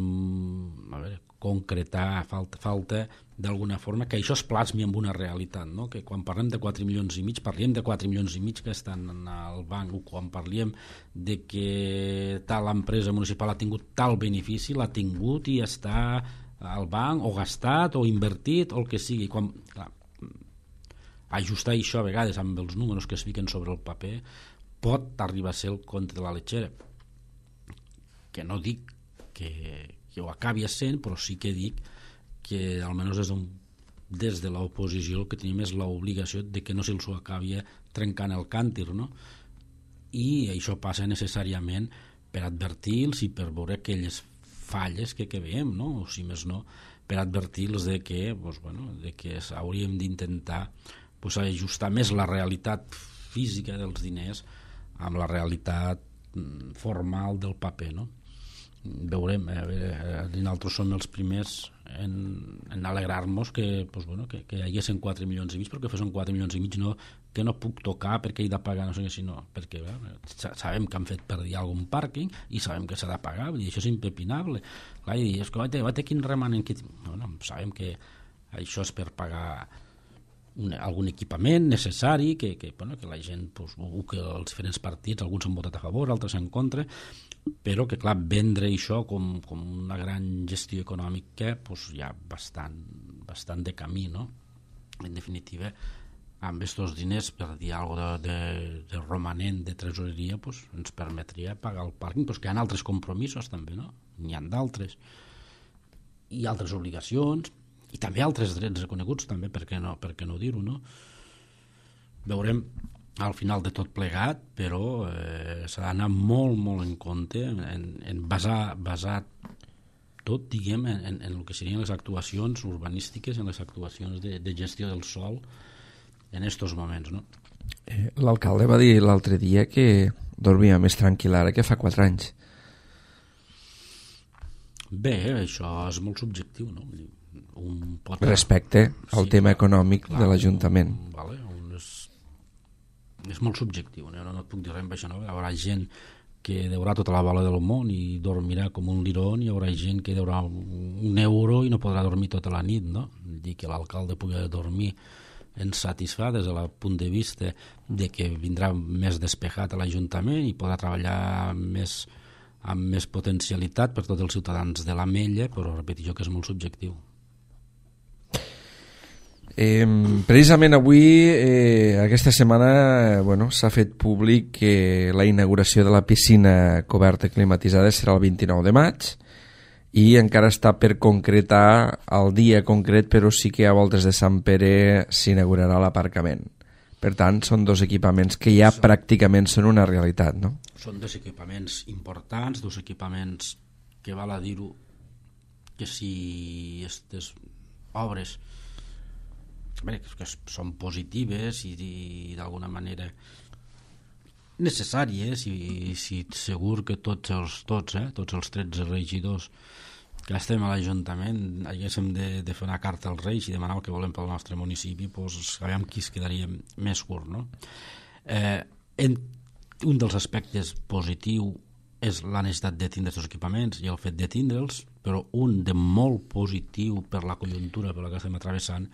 a veure, concretar, falta, falta d'alguna forma que això es plasmi amb una realitat, no? Que quan parlem de quatre milions i mig parlem de quatre milions i mig que estan al banc, o quan parlem de que tal empresa municipal ha tingut tal benefici, l'ha tingut i està al banc o gastat o invertit o el que sigui. Quan, clar, ajustar això a vegades amb els números que es fiquen sobre el paper pot arribar a ser el conte de la letxera, que no dic que, que ho acabi sent, però sí que dic que almenys des, des de l'oposició el que tenim és l'obligació de que no se'ls ho acabi trencant el càntir, no? I això passa necessàriament per advertir-los i per veure aquelles falles que, que veiem, no? O si més no, per advertir-los de que, pues, bueno, de que hauríem d'intentar pues, ajustar més la realitat física dels diners amb la realitat formal del paper, no? Veurem, eh, nosaltres som els primers en, en alegrar-nos que, pues, bueno, que, que hi haguessin quatre milions i mig, però que fossin quatre milions i mig no, que no puc tocar perquè he de pagar, no sé què, sinó perquè eh, sabem que han fet perdir algun pàrquing i sabem que s'ha de pagar, i això és impepinable. Clar, i és que vaig, vaig, quin remanent que... Bueno, sabem que això és per pagar un, algun equipament necessari que, que, bueno, que la gent pues, o que els diferents partits, alguns han votat a favor, altres en contra, però que clar, vendre això com, com una gran gestió econòmica pues, hi ha bastant, bastant de camí, no? En definitiva, amb aquests diners, per dir alguna cosa de, de, de romanent de tresoreria, pues, ens permetria pagar el pàrquing, pues, que hi ha altres compromisos també, no? N'hi ha d'altres i altres obligacions i també altres drets reconeguts també, per què no, per què no dir-ho, no? Veurem al final de tot plegat, però eh, s'ha d'anar molt, molt en compte en, en basar, basar tot, diguem, en, en, en el que serien les actuacions urbanístiques, en les actuacions de, de gestió del sòl en estos moments, no? Eh, l'alcalde va dir l'altre dia que dormia més tranquil ara que fa quatre anys. Bé, això és molt subjectiu, no? Un pot... Respecte al sí, tema econòmic clar, de l'Ajuntament. Un, vale, un és, és molt subjectiu, no? No et puc dir res amb això, no? Hi haurà gent que deurà tota la bola del món i dormirà com un lirón, i hi haurà gent que deurà un euro i no podrà dormir tota la nit, no? Dir que l'alcalde pugui dormir ens satisfà des del punt de vista de que vindrà més despejat a l'Ajuntament i podrà treballar més, amb més potencialitat per tots els ciutadans de l'Ametlla, però repeteixo que és molt subjectiu. Eh, precisament avui, eh, aquesta setmana, bueno, s'ha fet públic que la inauguració de la piscina coberta climatitzada serà el vint-i-nou de maig i encara està per concretar el dia concret, però sí que a voltes de Sant Pere s'inaugurarà l'aparcament. Per tant, són dos equipaments que ja són, pràcticament són una realitat, no? Són dos equipaments importants, dos equipaments que val a dir-ho que si aquestes obres bé, que són positives i, i d'alguna manera necessàries, i, i segur que tots els, tots, eh, tots els tretze regidors que estem a l'Ajuntament haguéssim de, de fer una carta als Reis i demanar el que volem pel nostre municipi, doncs sabem qui es quedaria més curt, no? Eh, en, un dels aspectes positius és la necessitat de tindre aquests equipaments i el fet de tindre'ls, però un de molt positiu per la conjuntura per la que estem travessant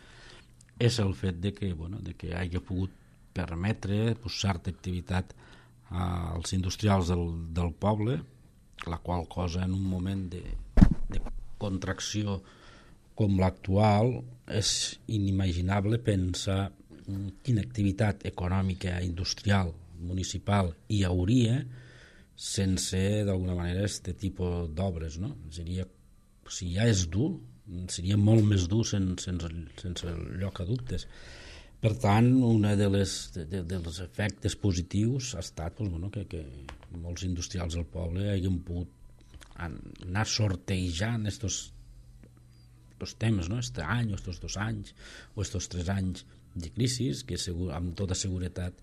és el fet de que, bueno, de que hagi pogut permetre pues, certa activitat als industrials del, del poble, la qual cosa en un moment de, de contracció com l'actual és inimaginable pensar quina activitat econòmica, industrial, municipal hi hauria sense d'alguna manera aquest tipus d'obres, no? Seria, si ja és dur, seria molt més dur sense, sense, sense lloc a dubtes. Per tant, un de les, de, dels efectes positius ha estat doncs, bueno, que, que molts industrials del poble hagin pogut anar sortejant estos, estos temes, no? Este any o estos dos anys o estos tres anys de crisi, que segur, amb tota seguretat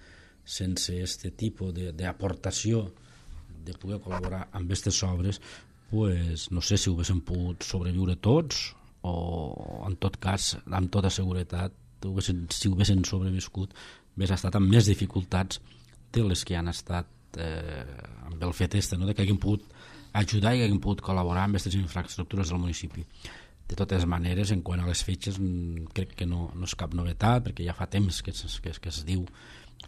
sense este tipus d'aportació de, de poder col·laborar amb aquestes obres, pues, no sé si ho haguessin pogut sobreviure tots o en tot cas, amb tota seguretat, si ho haguessin sobreviscut, hauria estat amb més dificultats de les que han estat eh, amb el fet este, no? De que hagin pogut ajudar i hagin pogut col·laborar amb aquestes infraestructures del municipi. De totes maneres, en quant a les fetges, crec que no, no és cap novetat, perquè ja fa temps que es, que, que es diu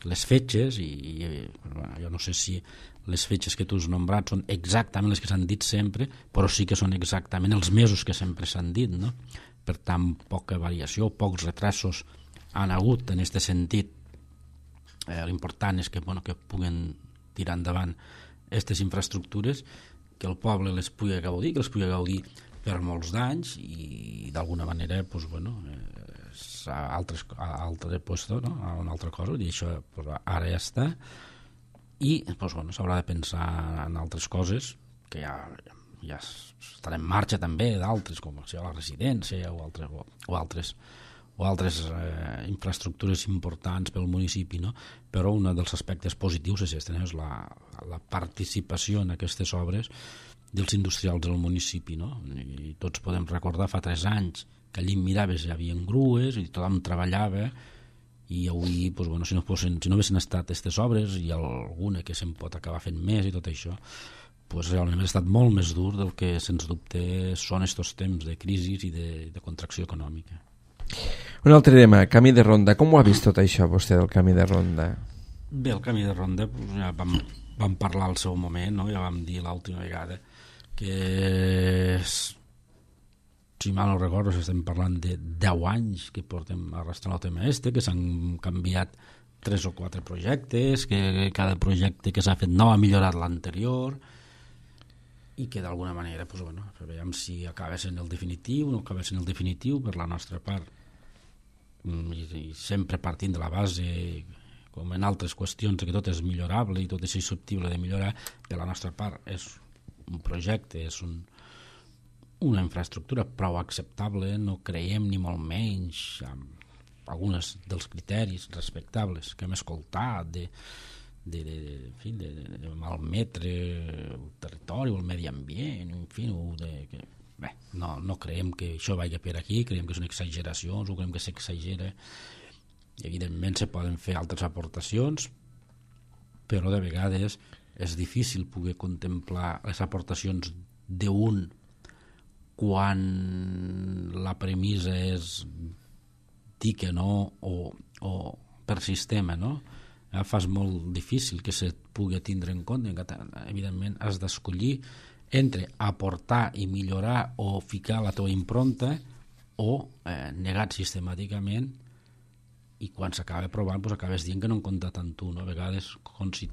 les fetges, i, i bueno, jo no sé si les fetges que tu has nombrat són exactament les que s'han dit sempre, però sí que són exactament els mesos que sempre s'han dit, no? Per tant, poca variació, pocs retrasos han hagut en aquest sentit. Eh, l'important és que, bueno, que puguen tirar endavant aquestes infraestructures, que el poble les pugui gaudir, que les pugui gaudir per molts d'anys, i d'alguna manera pues, bueno, eh, a altres, a altre puesto, no? A una altra cosa, i això pues, ara ja està, i pues, bueno, s'haurà de pensar en altres coses que ja, ja estan en marxa també, d'altres, com sigui la residència o altres, o, o altres, o altres eh, infraestructures importants pel municipi, no? Però un dels aspectes positius és, este, no? És la, la participació en aquestes obres dels industrials del municipi, no? I tots podem recordar fa tres anys que allí miraves hi havia grues i tothom treballava, i avui pues, bueno, si no fossin, si no haguessin estat aquestes obres i alguna que se'n pot acabar fent més i tot això, pues, realment ha estat molt més dur del que sens dubte són estos temps de crisi i de, de contracció econòmica. Un altre tema, Camí de Ronda. Com ho ha vist tot això vostè del Camí de Ronda? Bé, el Camí de Ronda pues, ja vam, vam parlar al seu moment, no? Ja vam dir l'última vegada que, si mal no recordo, estem parlant de deu anys que portem arrastrant el tema este, que s'han canviat tres o quatre projectes, que cada projecte que s'ha fet no ha millorat l'anterior, i que d'alguna manera pues, bueno, veiem si acaba sent el definitiu o no acaba sent el definitiu per la nostra part, i, i sempre partint de la base, com en altres qüestions, que tot és millorable i tot és susceptible de millorar. De la nostra part és un projecte, és un, una infraestructura prou acceptable, no creiem ni molt menys amb alguns dels criteris respectables que hem escoltat de de, de, de, en fi, de, de, de malmetre el territori o el medi ambient, en fi, de, que, bé, no, no creiem que això vagi per aquí, creiem que són exageracions, o creiem que s'exagera, i evidentment se poden fer altres aportacions, però de vegades és difícil poder contemplar les aportacions d'un quan la premissa és dir que no o, o per sistema, no? Eh, fas molt difícil que se pugui tindre en compte. Evidentment has d'escollir entre aportar i millorar o ficar la teva impronta o eh, negat sistemàticament, i quan s'acaba provant doncs acabes dient que no en compta tant tu, no? A vegades si...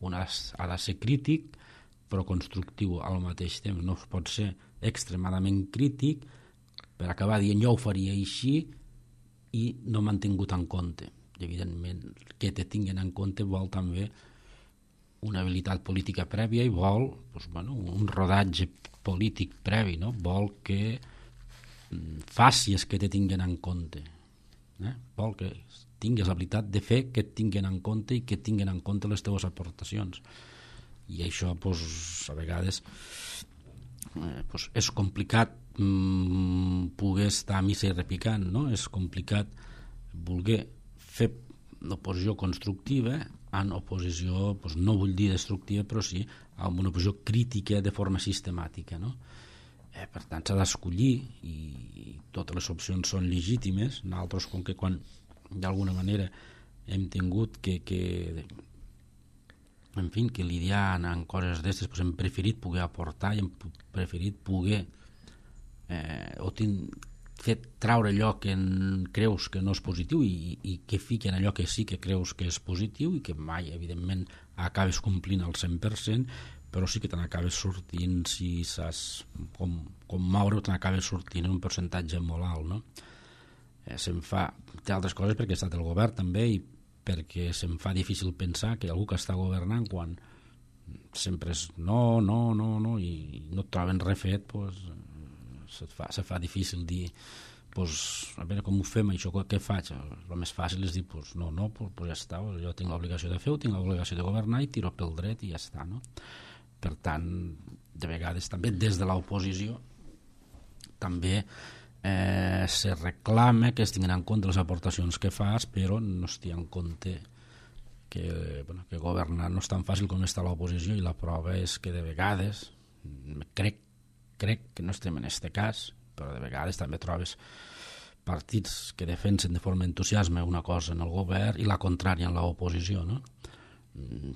un ha de ser crític però constructiu al mateix temps, no es pot ser extremadament crític per acabar dient jo ho faria així i no m'han tingut en compte. I evidentment que te tinguin en compte vol també una habilitat política prèvia i vol doncs, bueno, un rodatge polític previ, no? Vol que facis que te tinguin en compte, eh? Vol que tinguis l'habilitat de fer que et tinguin en compte i que tinguin en compte les teves aportacions. I això doncs, a vegades eh, doncs, és complicat mm, poder estar a missa i repicant, no? És complicat voler fer l'oposició constructiva en oposició, doncs, no vull dir destructiva, però sí en una oposició crítica de forma sistemàtica, no? Eh, per tant s'ha d'escollir i, i totes les opcions són legítimes. Nosaltres, com que quan d'alguna manera hem tingut que, que en fi, que lidiar en coses d'aquestes, doncs hem preferit poder aportar i hem preferit poder eh, o tinc, fer traure allò que en, creus que no és positiu i, i que fiquen allò que sí que creus que és positiu i que mai, evidentment, acabes complint al cent per cent, però sí que te n'acabes sortint, si saps com, com moure, te n'acabes sortint en un percentatge molt alt, no? Eh, se'm fa d'altres coses perquè he estat el govern també i perquè se'm fa difícil pensar que algú que està governant quan sempre és no, no, no, no i no et troben res fet, doncs se fa, se fa difícil dir doncs, a veure com ho fem això, què faig? El més fàcil és dir doncs, no, no, doncs, doncs ja està, jo tinc l'obligació de fer-ho, tinc l'obligació de governar i tiro pel dret i ja està, no? Per tant, de vegades també des de l'oposició també eh, se reclama que es tinguin en compte les aportacions que fas, però no es té en compte que, bueno, que governar no és tan fàcil com està l'oposició, i la prova és que de vegades crec, crec que no estem en aquest cas, però de vegades també trobes partits que defensen de forma entusiasme una cosa en el govern i la contrària en l'oposició, no?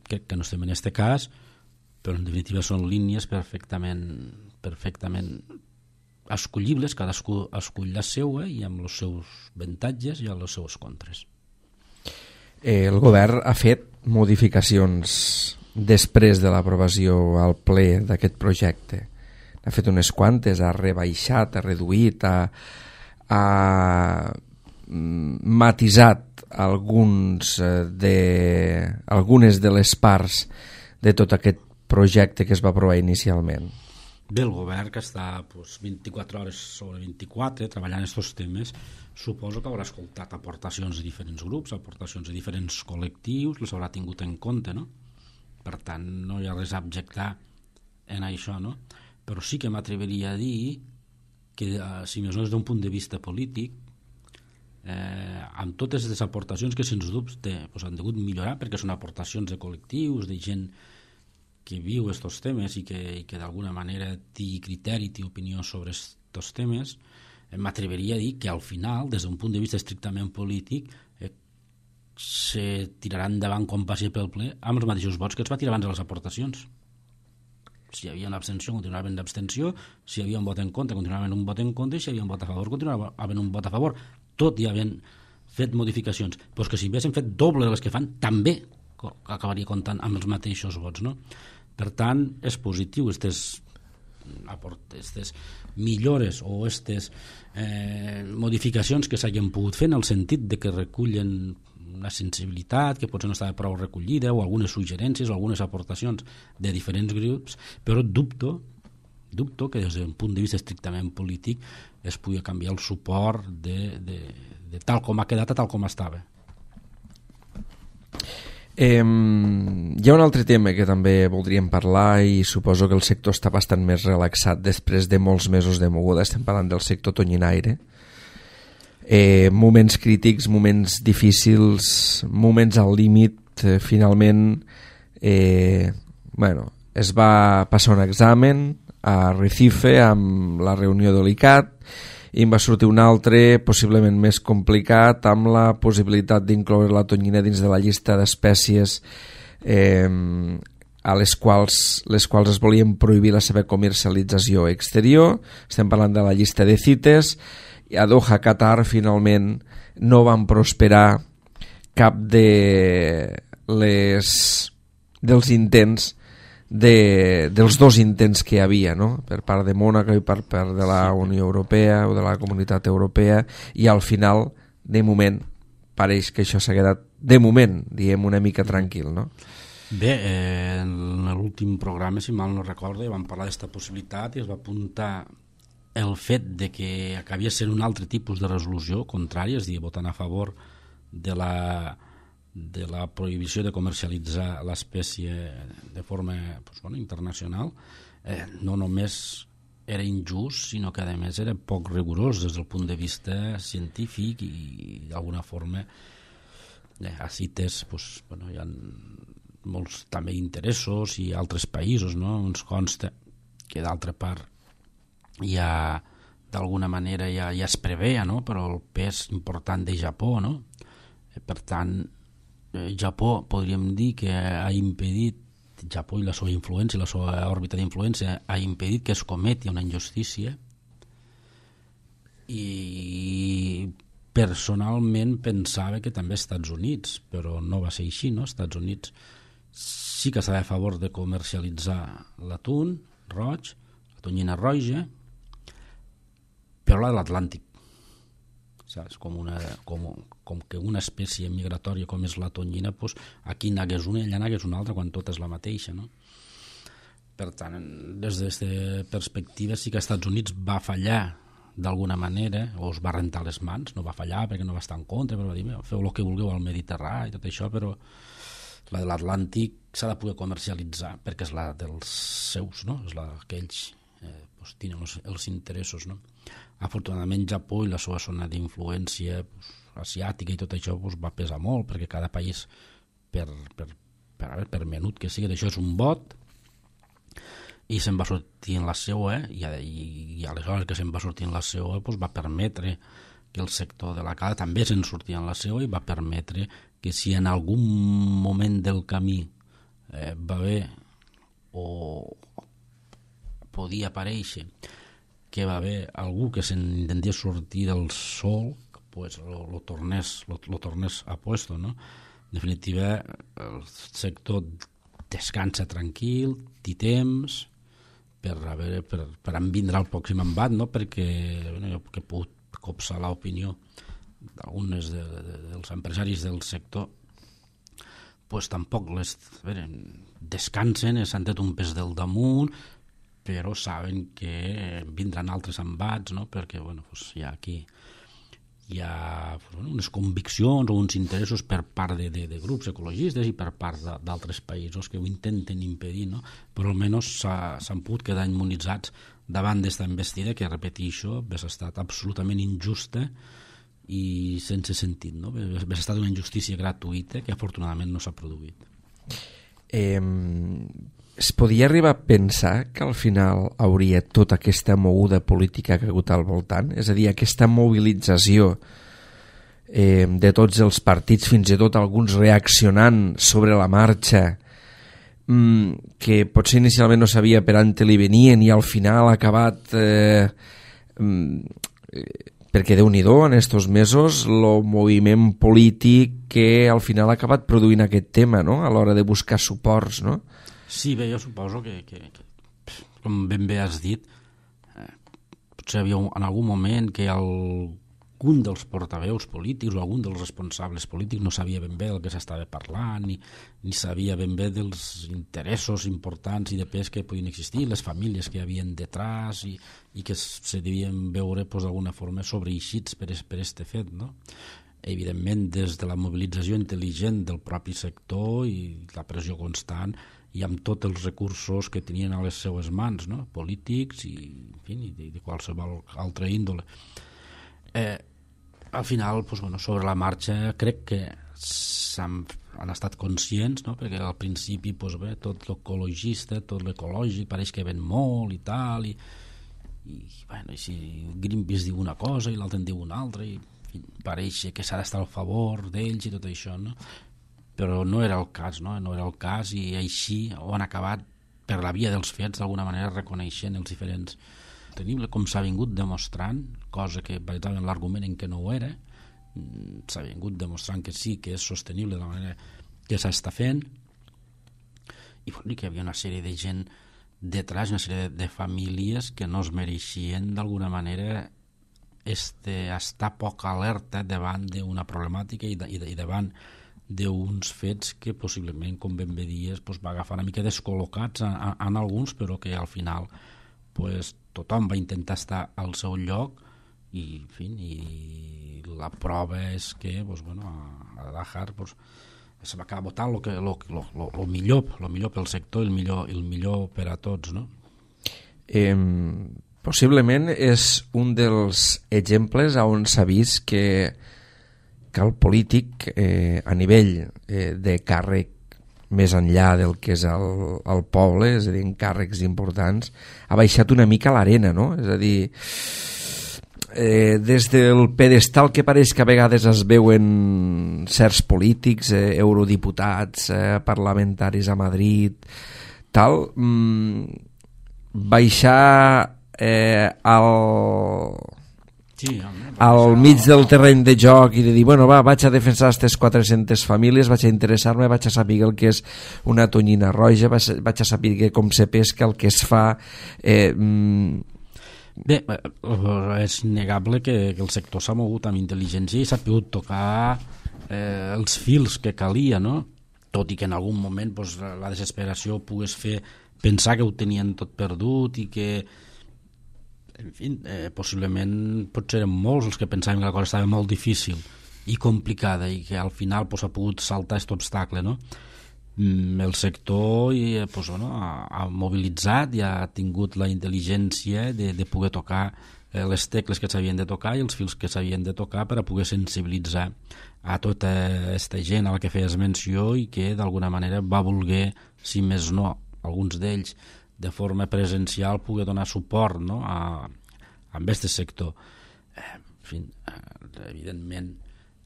Crec que no estem en aquest cas, però en definitiva són línies perfectament, perfectament escollibles, cadascú escull la seva i amb els seus avantatges i els seus contres. Eh, el govern ha fet modificacions després de l'aprovació al ple d'aquest projecte. Ha fet unes quantes, ha rebaixat, ha reduït, ha, ha matisat alguns de, algunes de les parts de tot aquest projecte que es va aprovar inicialment. Bé, el govern que està doncs, vint-i-quatre hores sobre vint-i-quatre treballant aquests temes, suposo que haurà escoltat aportacions de diferents grups, aportacions de diferents col·lectius, les haurà tingut en compte, no? Per tant, no hi ha res a objectar en això, no? Però sí que m'atreviria a dir que, si més no des d'un punt de vista polític, eh, amb totes les aportacions que sens dubte doncs, han degut millorar, perquè són aportacions de col·lectius, de gent que viu aquests temes i que, i que d'alguna manera té criteri, té opinió sobre aquests temes, eh, m'atreviria a dir que al final, des d'un punt de vista estrictament polític, eh, se tirarà endavant com passi pel ple amb els mateixos vots que es va tirar abans de les aportacions. Si hi havia una abstenció, continuava havent abstenció, si hi havia un vot en contra, continuava havent un vot en contra, i si hi havia un vot a favor, continuava havent un vot a favor, tot i havent fet modificacions. Però que si haguessin fet doble de les que fan, també acabaria comptant amb els mateixos vots, no? Per tant, és positiu aquestes millores o aquestes eh, modificacions que s'hagin pogut fer en el sentit de que recullen una sensibilitat que potser no estava prou recollida o algunes suggerències o algunes aportacions de diferents grups, però dubto dubto que des d'un punt de vista estrictament polític es pugui canviar el suport de, de, de tal com ha quedat a tal com estava. Eh, hi ha un altre tema que també voldríem parlar i suposo que el sector està bastant més relaxat després de molts mesos de moguda. Estem parlant del sector tonyinaire. Eh, moments crítics, moments difícils, moments al límit, eh, finalment eh, bueno, es va passar un examen a Recife amb la reunió de l'I C A T i em va sortir un altre possiblement més complicat amb la possibilitat d'incloure la tonyina dins de la llista d'espècies eh, a les quals, les quals es volien prohibir la seva comercialització exterior. Estem parlant de la llista de CITES. I a Doha, Qatar, finalment no van prosperar cap de les, dels intents de, dels dos intents que hi havia, no? Per part de Mònaco i per part de la Unió Europea o de la Comunitat Europea, i al final, de moment, pareix que això s'ha quedat, de moment, diguem, una mica tranquil, no? Bé, eh, en l'últim programa, si mal no recordo, vam parlar d'aquesta possibilitat i es va apuntar el fet de que acabia sent un altre tipus de resolució contrària, és a dir, votant a favor de la de la prohibició de comercialitzar l'espècie de forma pues, bueno, internacional, eh, no només era injust, sinó que a més era poc rigorós des del punt de vista científic i d'alguna forma eh, a CITES pues, bueno, hi ha molts també interessos i altres països, no? Ens consta que d'altra part ja d'alguna manera ja, ja es preveia, no? Però el pes important de Japó, no? Per tant, Japó podríem dir que ha impedit, Japó i la seva influència, la seva òrbita d'influència ha impedit que es cometi una injustícia, i personalment pensava que també Estats Units, però no va ser així, no? Estats Units sí que estava a favor de comercialitzar l'atún roig, la tonyina roja, però la de l'Atlàntic. Saps? Com, una, com, com que una espècie migratòria com és la tonyina, doncs aquí n'hagués una i allà n'hagués una altra quan tot és la mateixa, no? Per tant, des d'aquesta perspectiva sí que als Estats Units va fallar d'alguna manera, o es va rentar les mans, no va fallar perquè no va estar en contra, però va dir, feu el que vulgueu al Mediterrani i tot això, però la de l'Atlàntic s'ha de poder comercialitzar perquè és la dels seus, no? És la que ells eh, doncs, tenen els, els interessos, no? Afortunadament Japó i la seva zona d'influència pues, asiàtica i tot això pues, va pesar molt, perquè cada país per, per, per, per, per menut que sigui d'això és un vot, i se'n va sortir en la seua, eh? I, i, i aleshores que se'n va sortir en la seua pues, va permetre que el sector de la cala també se'n sortia en la seua i va permetre que si en algun moment del camí eh, va haver o podia aparèixer que va haver algú que s'intentés sortir del sol, pues lo, lo, tornés, lo, lo tornés a puesto, no? En definitiva, el sector descansa tranquil, té temps per, a veure, per, per en vindre al pròxim embat, no? Perquè bueno, jo que he pogut copsar l'opinió d'alguns de, de, dels empresaris del sector, pues tampoc les, a veure, descansen, s'han tret un pes del damunt, però saben que vindran altres embats, no? Perquè bueno, pues hi ha aquí hi ha pues, bueno, unes conviccions o uns interessos per part de, de, de grups ecologistes i per part d'altres països que ho intenten impedir, no? Però almenys s'han pogut quedar immunitzats davant d'esta investida que, repeteixo, ha estat absolutament injusta i sense sentit, no? Ha estat una injustícia gratuïta que afortunadament no s'ha produït. Eh... Es podia arribar a pensar que al final hauria tota aquesta moguda política que ha hagut al voltant? És a dir, aquesta mobilització eh, de tots els partits, fins i tot alguns reaccionant sobre la marxa, mmm, que potser inicialment no sabia per on li venien i al final ha acabat... Eh, mm, perquè Déu-n'hi-do, en estos mesos, el moviment polític que al final ha acabat produint aquest tema, no? A l'hora de buscar suports, no? Sí, bé, jo suposo que, que, que com ben bé has dit, eh, potser havia un, en algun moment que algun dels portaveus polítics o algun dels responsables polítics no sabia ben bé del que s'estava parlant, ni, ni sabia ben bé dels interessos importants i de pes que podien existir, les famílies que hi havien detrás i, i que se devien veure pues, d'alguna forma sobreeixits per aquest fet, no? Evidentment, des de la mobilització intel·ligent del propi sector i la pressió constant i amb tots els recursos que tenien a les seues mans, no? Polítics i, en fi, de, de qualsevol altra índole. Eh, al final, pues, bueno, sobre la marxa, crec que s'han han estat conscients, no? Perquè al principi doncs bé, tot l'ecologista, tot l'ecològic pareix que ven molt i tal, i, i, bueno, i si Greenpeace diu una cosa i l'altre en diu una altra, i en fi, pareix que s'ha d'estar al favor d'ells i tot això, no? Però no era el cas, no? No era el cas, i així ho han acabat per la via dels fets, d'alguna manera reconeixent els diferents tenibles, com s'ha vingut demostrant, cosa que basava en l'argument en què no ho era, s'ha vingut demostrant que sí, que és sostenible de la manera que s'està fent, i bueno, que hi havia una sèrie de gent detrás, una sèrie de, de famílies que no es mereixien d'alguna manera este, estar poc alerta davant d'una problemàtica i, de, i, de, i davant d'uns fets que possiblement, com ben bé dies, pues, va agafar una mica descol·locats en, en alguns, però que al final pues, tothom va intentar estar al seu lloc, i, en fi, i la prova és que pues, bueno, a Dájar pues, se va acabar votant lo, que, lo, lo, lo, lo millor lo millor pel sector i el millor, el millor per a tots, no? Eh, possiblement és un dels exemples on s'ha vist que que el polític eh, a nivell eh, de càrrec més enllà del que és el, el poble, és a dir, en càrrecs importants, ha baixat una mica l'arena, no? És a dir, eh, des del pedestal que pareix que a vegades es veuen certs polítics, eh, eurodiputats, eh, parlamentaris a Madrid, tal, mmm, baixar eh, al... Sí, al mig del terreny de joc i de dir, bueno, va, vaig a defensar aquestes quatre-centes famílies, vaig a interessar-me, vaig a saber el que és una tonyina roja, vaig a saber com se pesca, el que es fa... Eh, mm... Bé, és innegable que, que el sector s'ha mogut amb intel·ligència i s'ha pogut tocar eh, els fils que calia, no? Tot i que en algun moment pues, la desesperació pogués fer pensar que ho tenien tot perdut i que en fi, eh, possiblement potser eren molts els que pensàvem que la cosa estava molt difícil i complicada i que al final pues, ha pogut saltar aquest obstacle, no? Mm, el sector i, pues, bueno, ha, ha mobilitzat i ha tingut la intel·ligència de, de poder tocar eh, les tecles que s'havien de tocar i els fils que s'havien de tocar per a poder sensibilitzar a tota aquesta gent a la que feies menció i que d'alguna manera va voler, si més no, alguns d'ells de forma presencial poder donar suport, no? a, a aquest sector. Eh, en fi, eh, evidentment,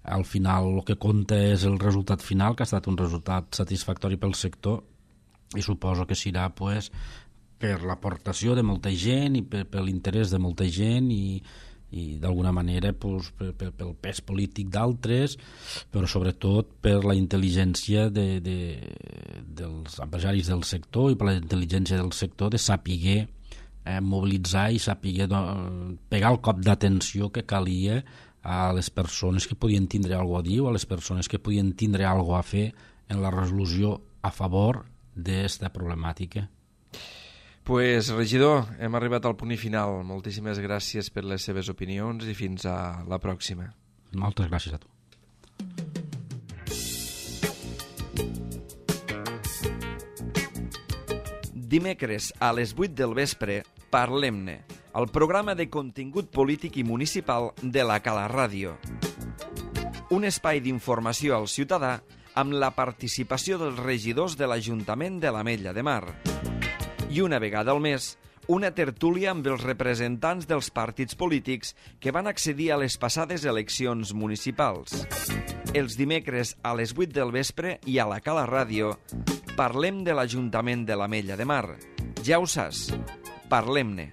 al final el que compta és el resultat final, que ha estat un resultat satisfactori pel sector, i suposo que serà pues, per l'aportació de molta gent i per, per l'interès de molta gent i, i d'alguna manera pues, per, per, pel pes polític d'altres, però sobretot per la intel·ligència de, de, dels empresaris del sector i per la intel·ligència del sector de saber eh, mobilitzar i saber do, pegar el cop d'atenció que calia a les persones que podien tindre alguna cosa a dir o a les persones que podien tindre alguna cosa a fer en la resolució a favor d'esta problemàtica. Pues, regidor, hem arribat al punt final. Moltíssimes gràcies per les seves opinions i fins a la pròxima. Moltes gràcies a tu. Dimecres a les vuit del vespre, Parlem-ne, el programa de contingut polític i municipal de la Cala Ràdio. Un espai d'informació al ciutadà amb la participació dels regidors de l'Ajuntament de l'Ametlla de Mar. I una vegada al mes, una tertúlia amb els representants dels partits polítics que van accedir a les passades eleccions municipals. Els dimecres a les vuit del vespre i a la Cala Ràdio parlem de l'Ajuntament de l'Ametlla de Mar. Ja ho saps, parlem-ne.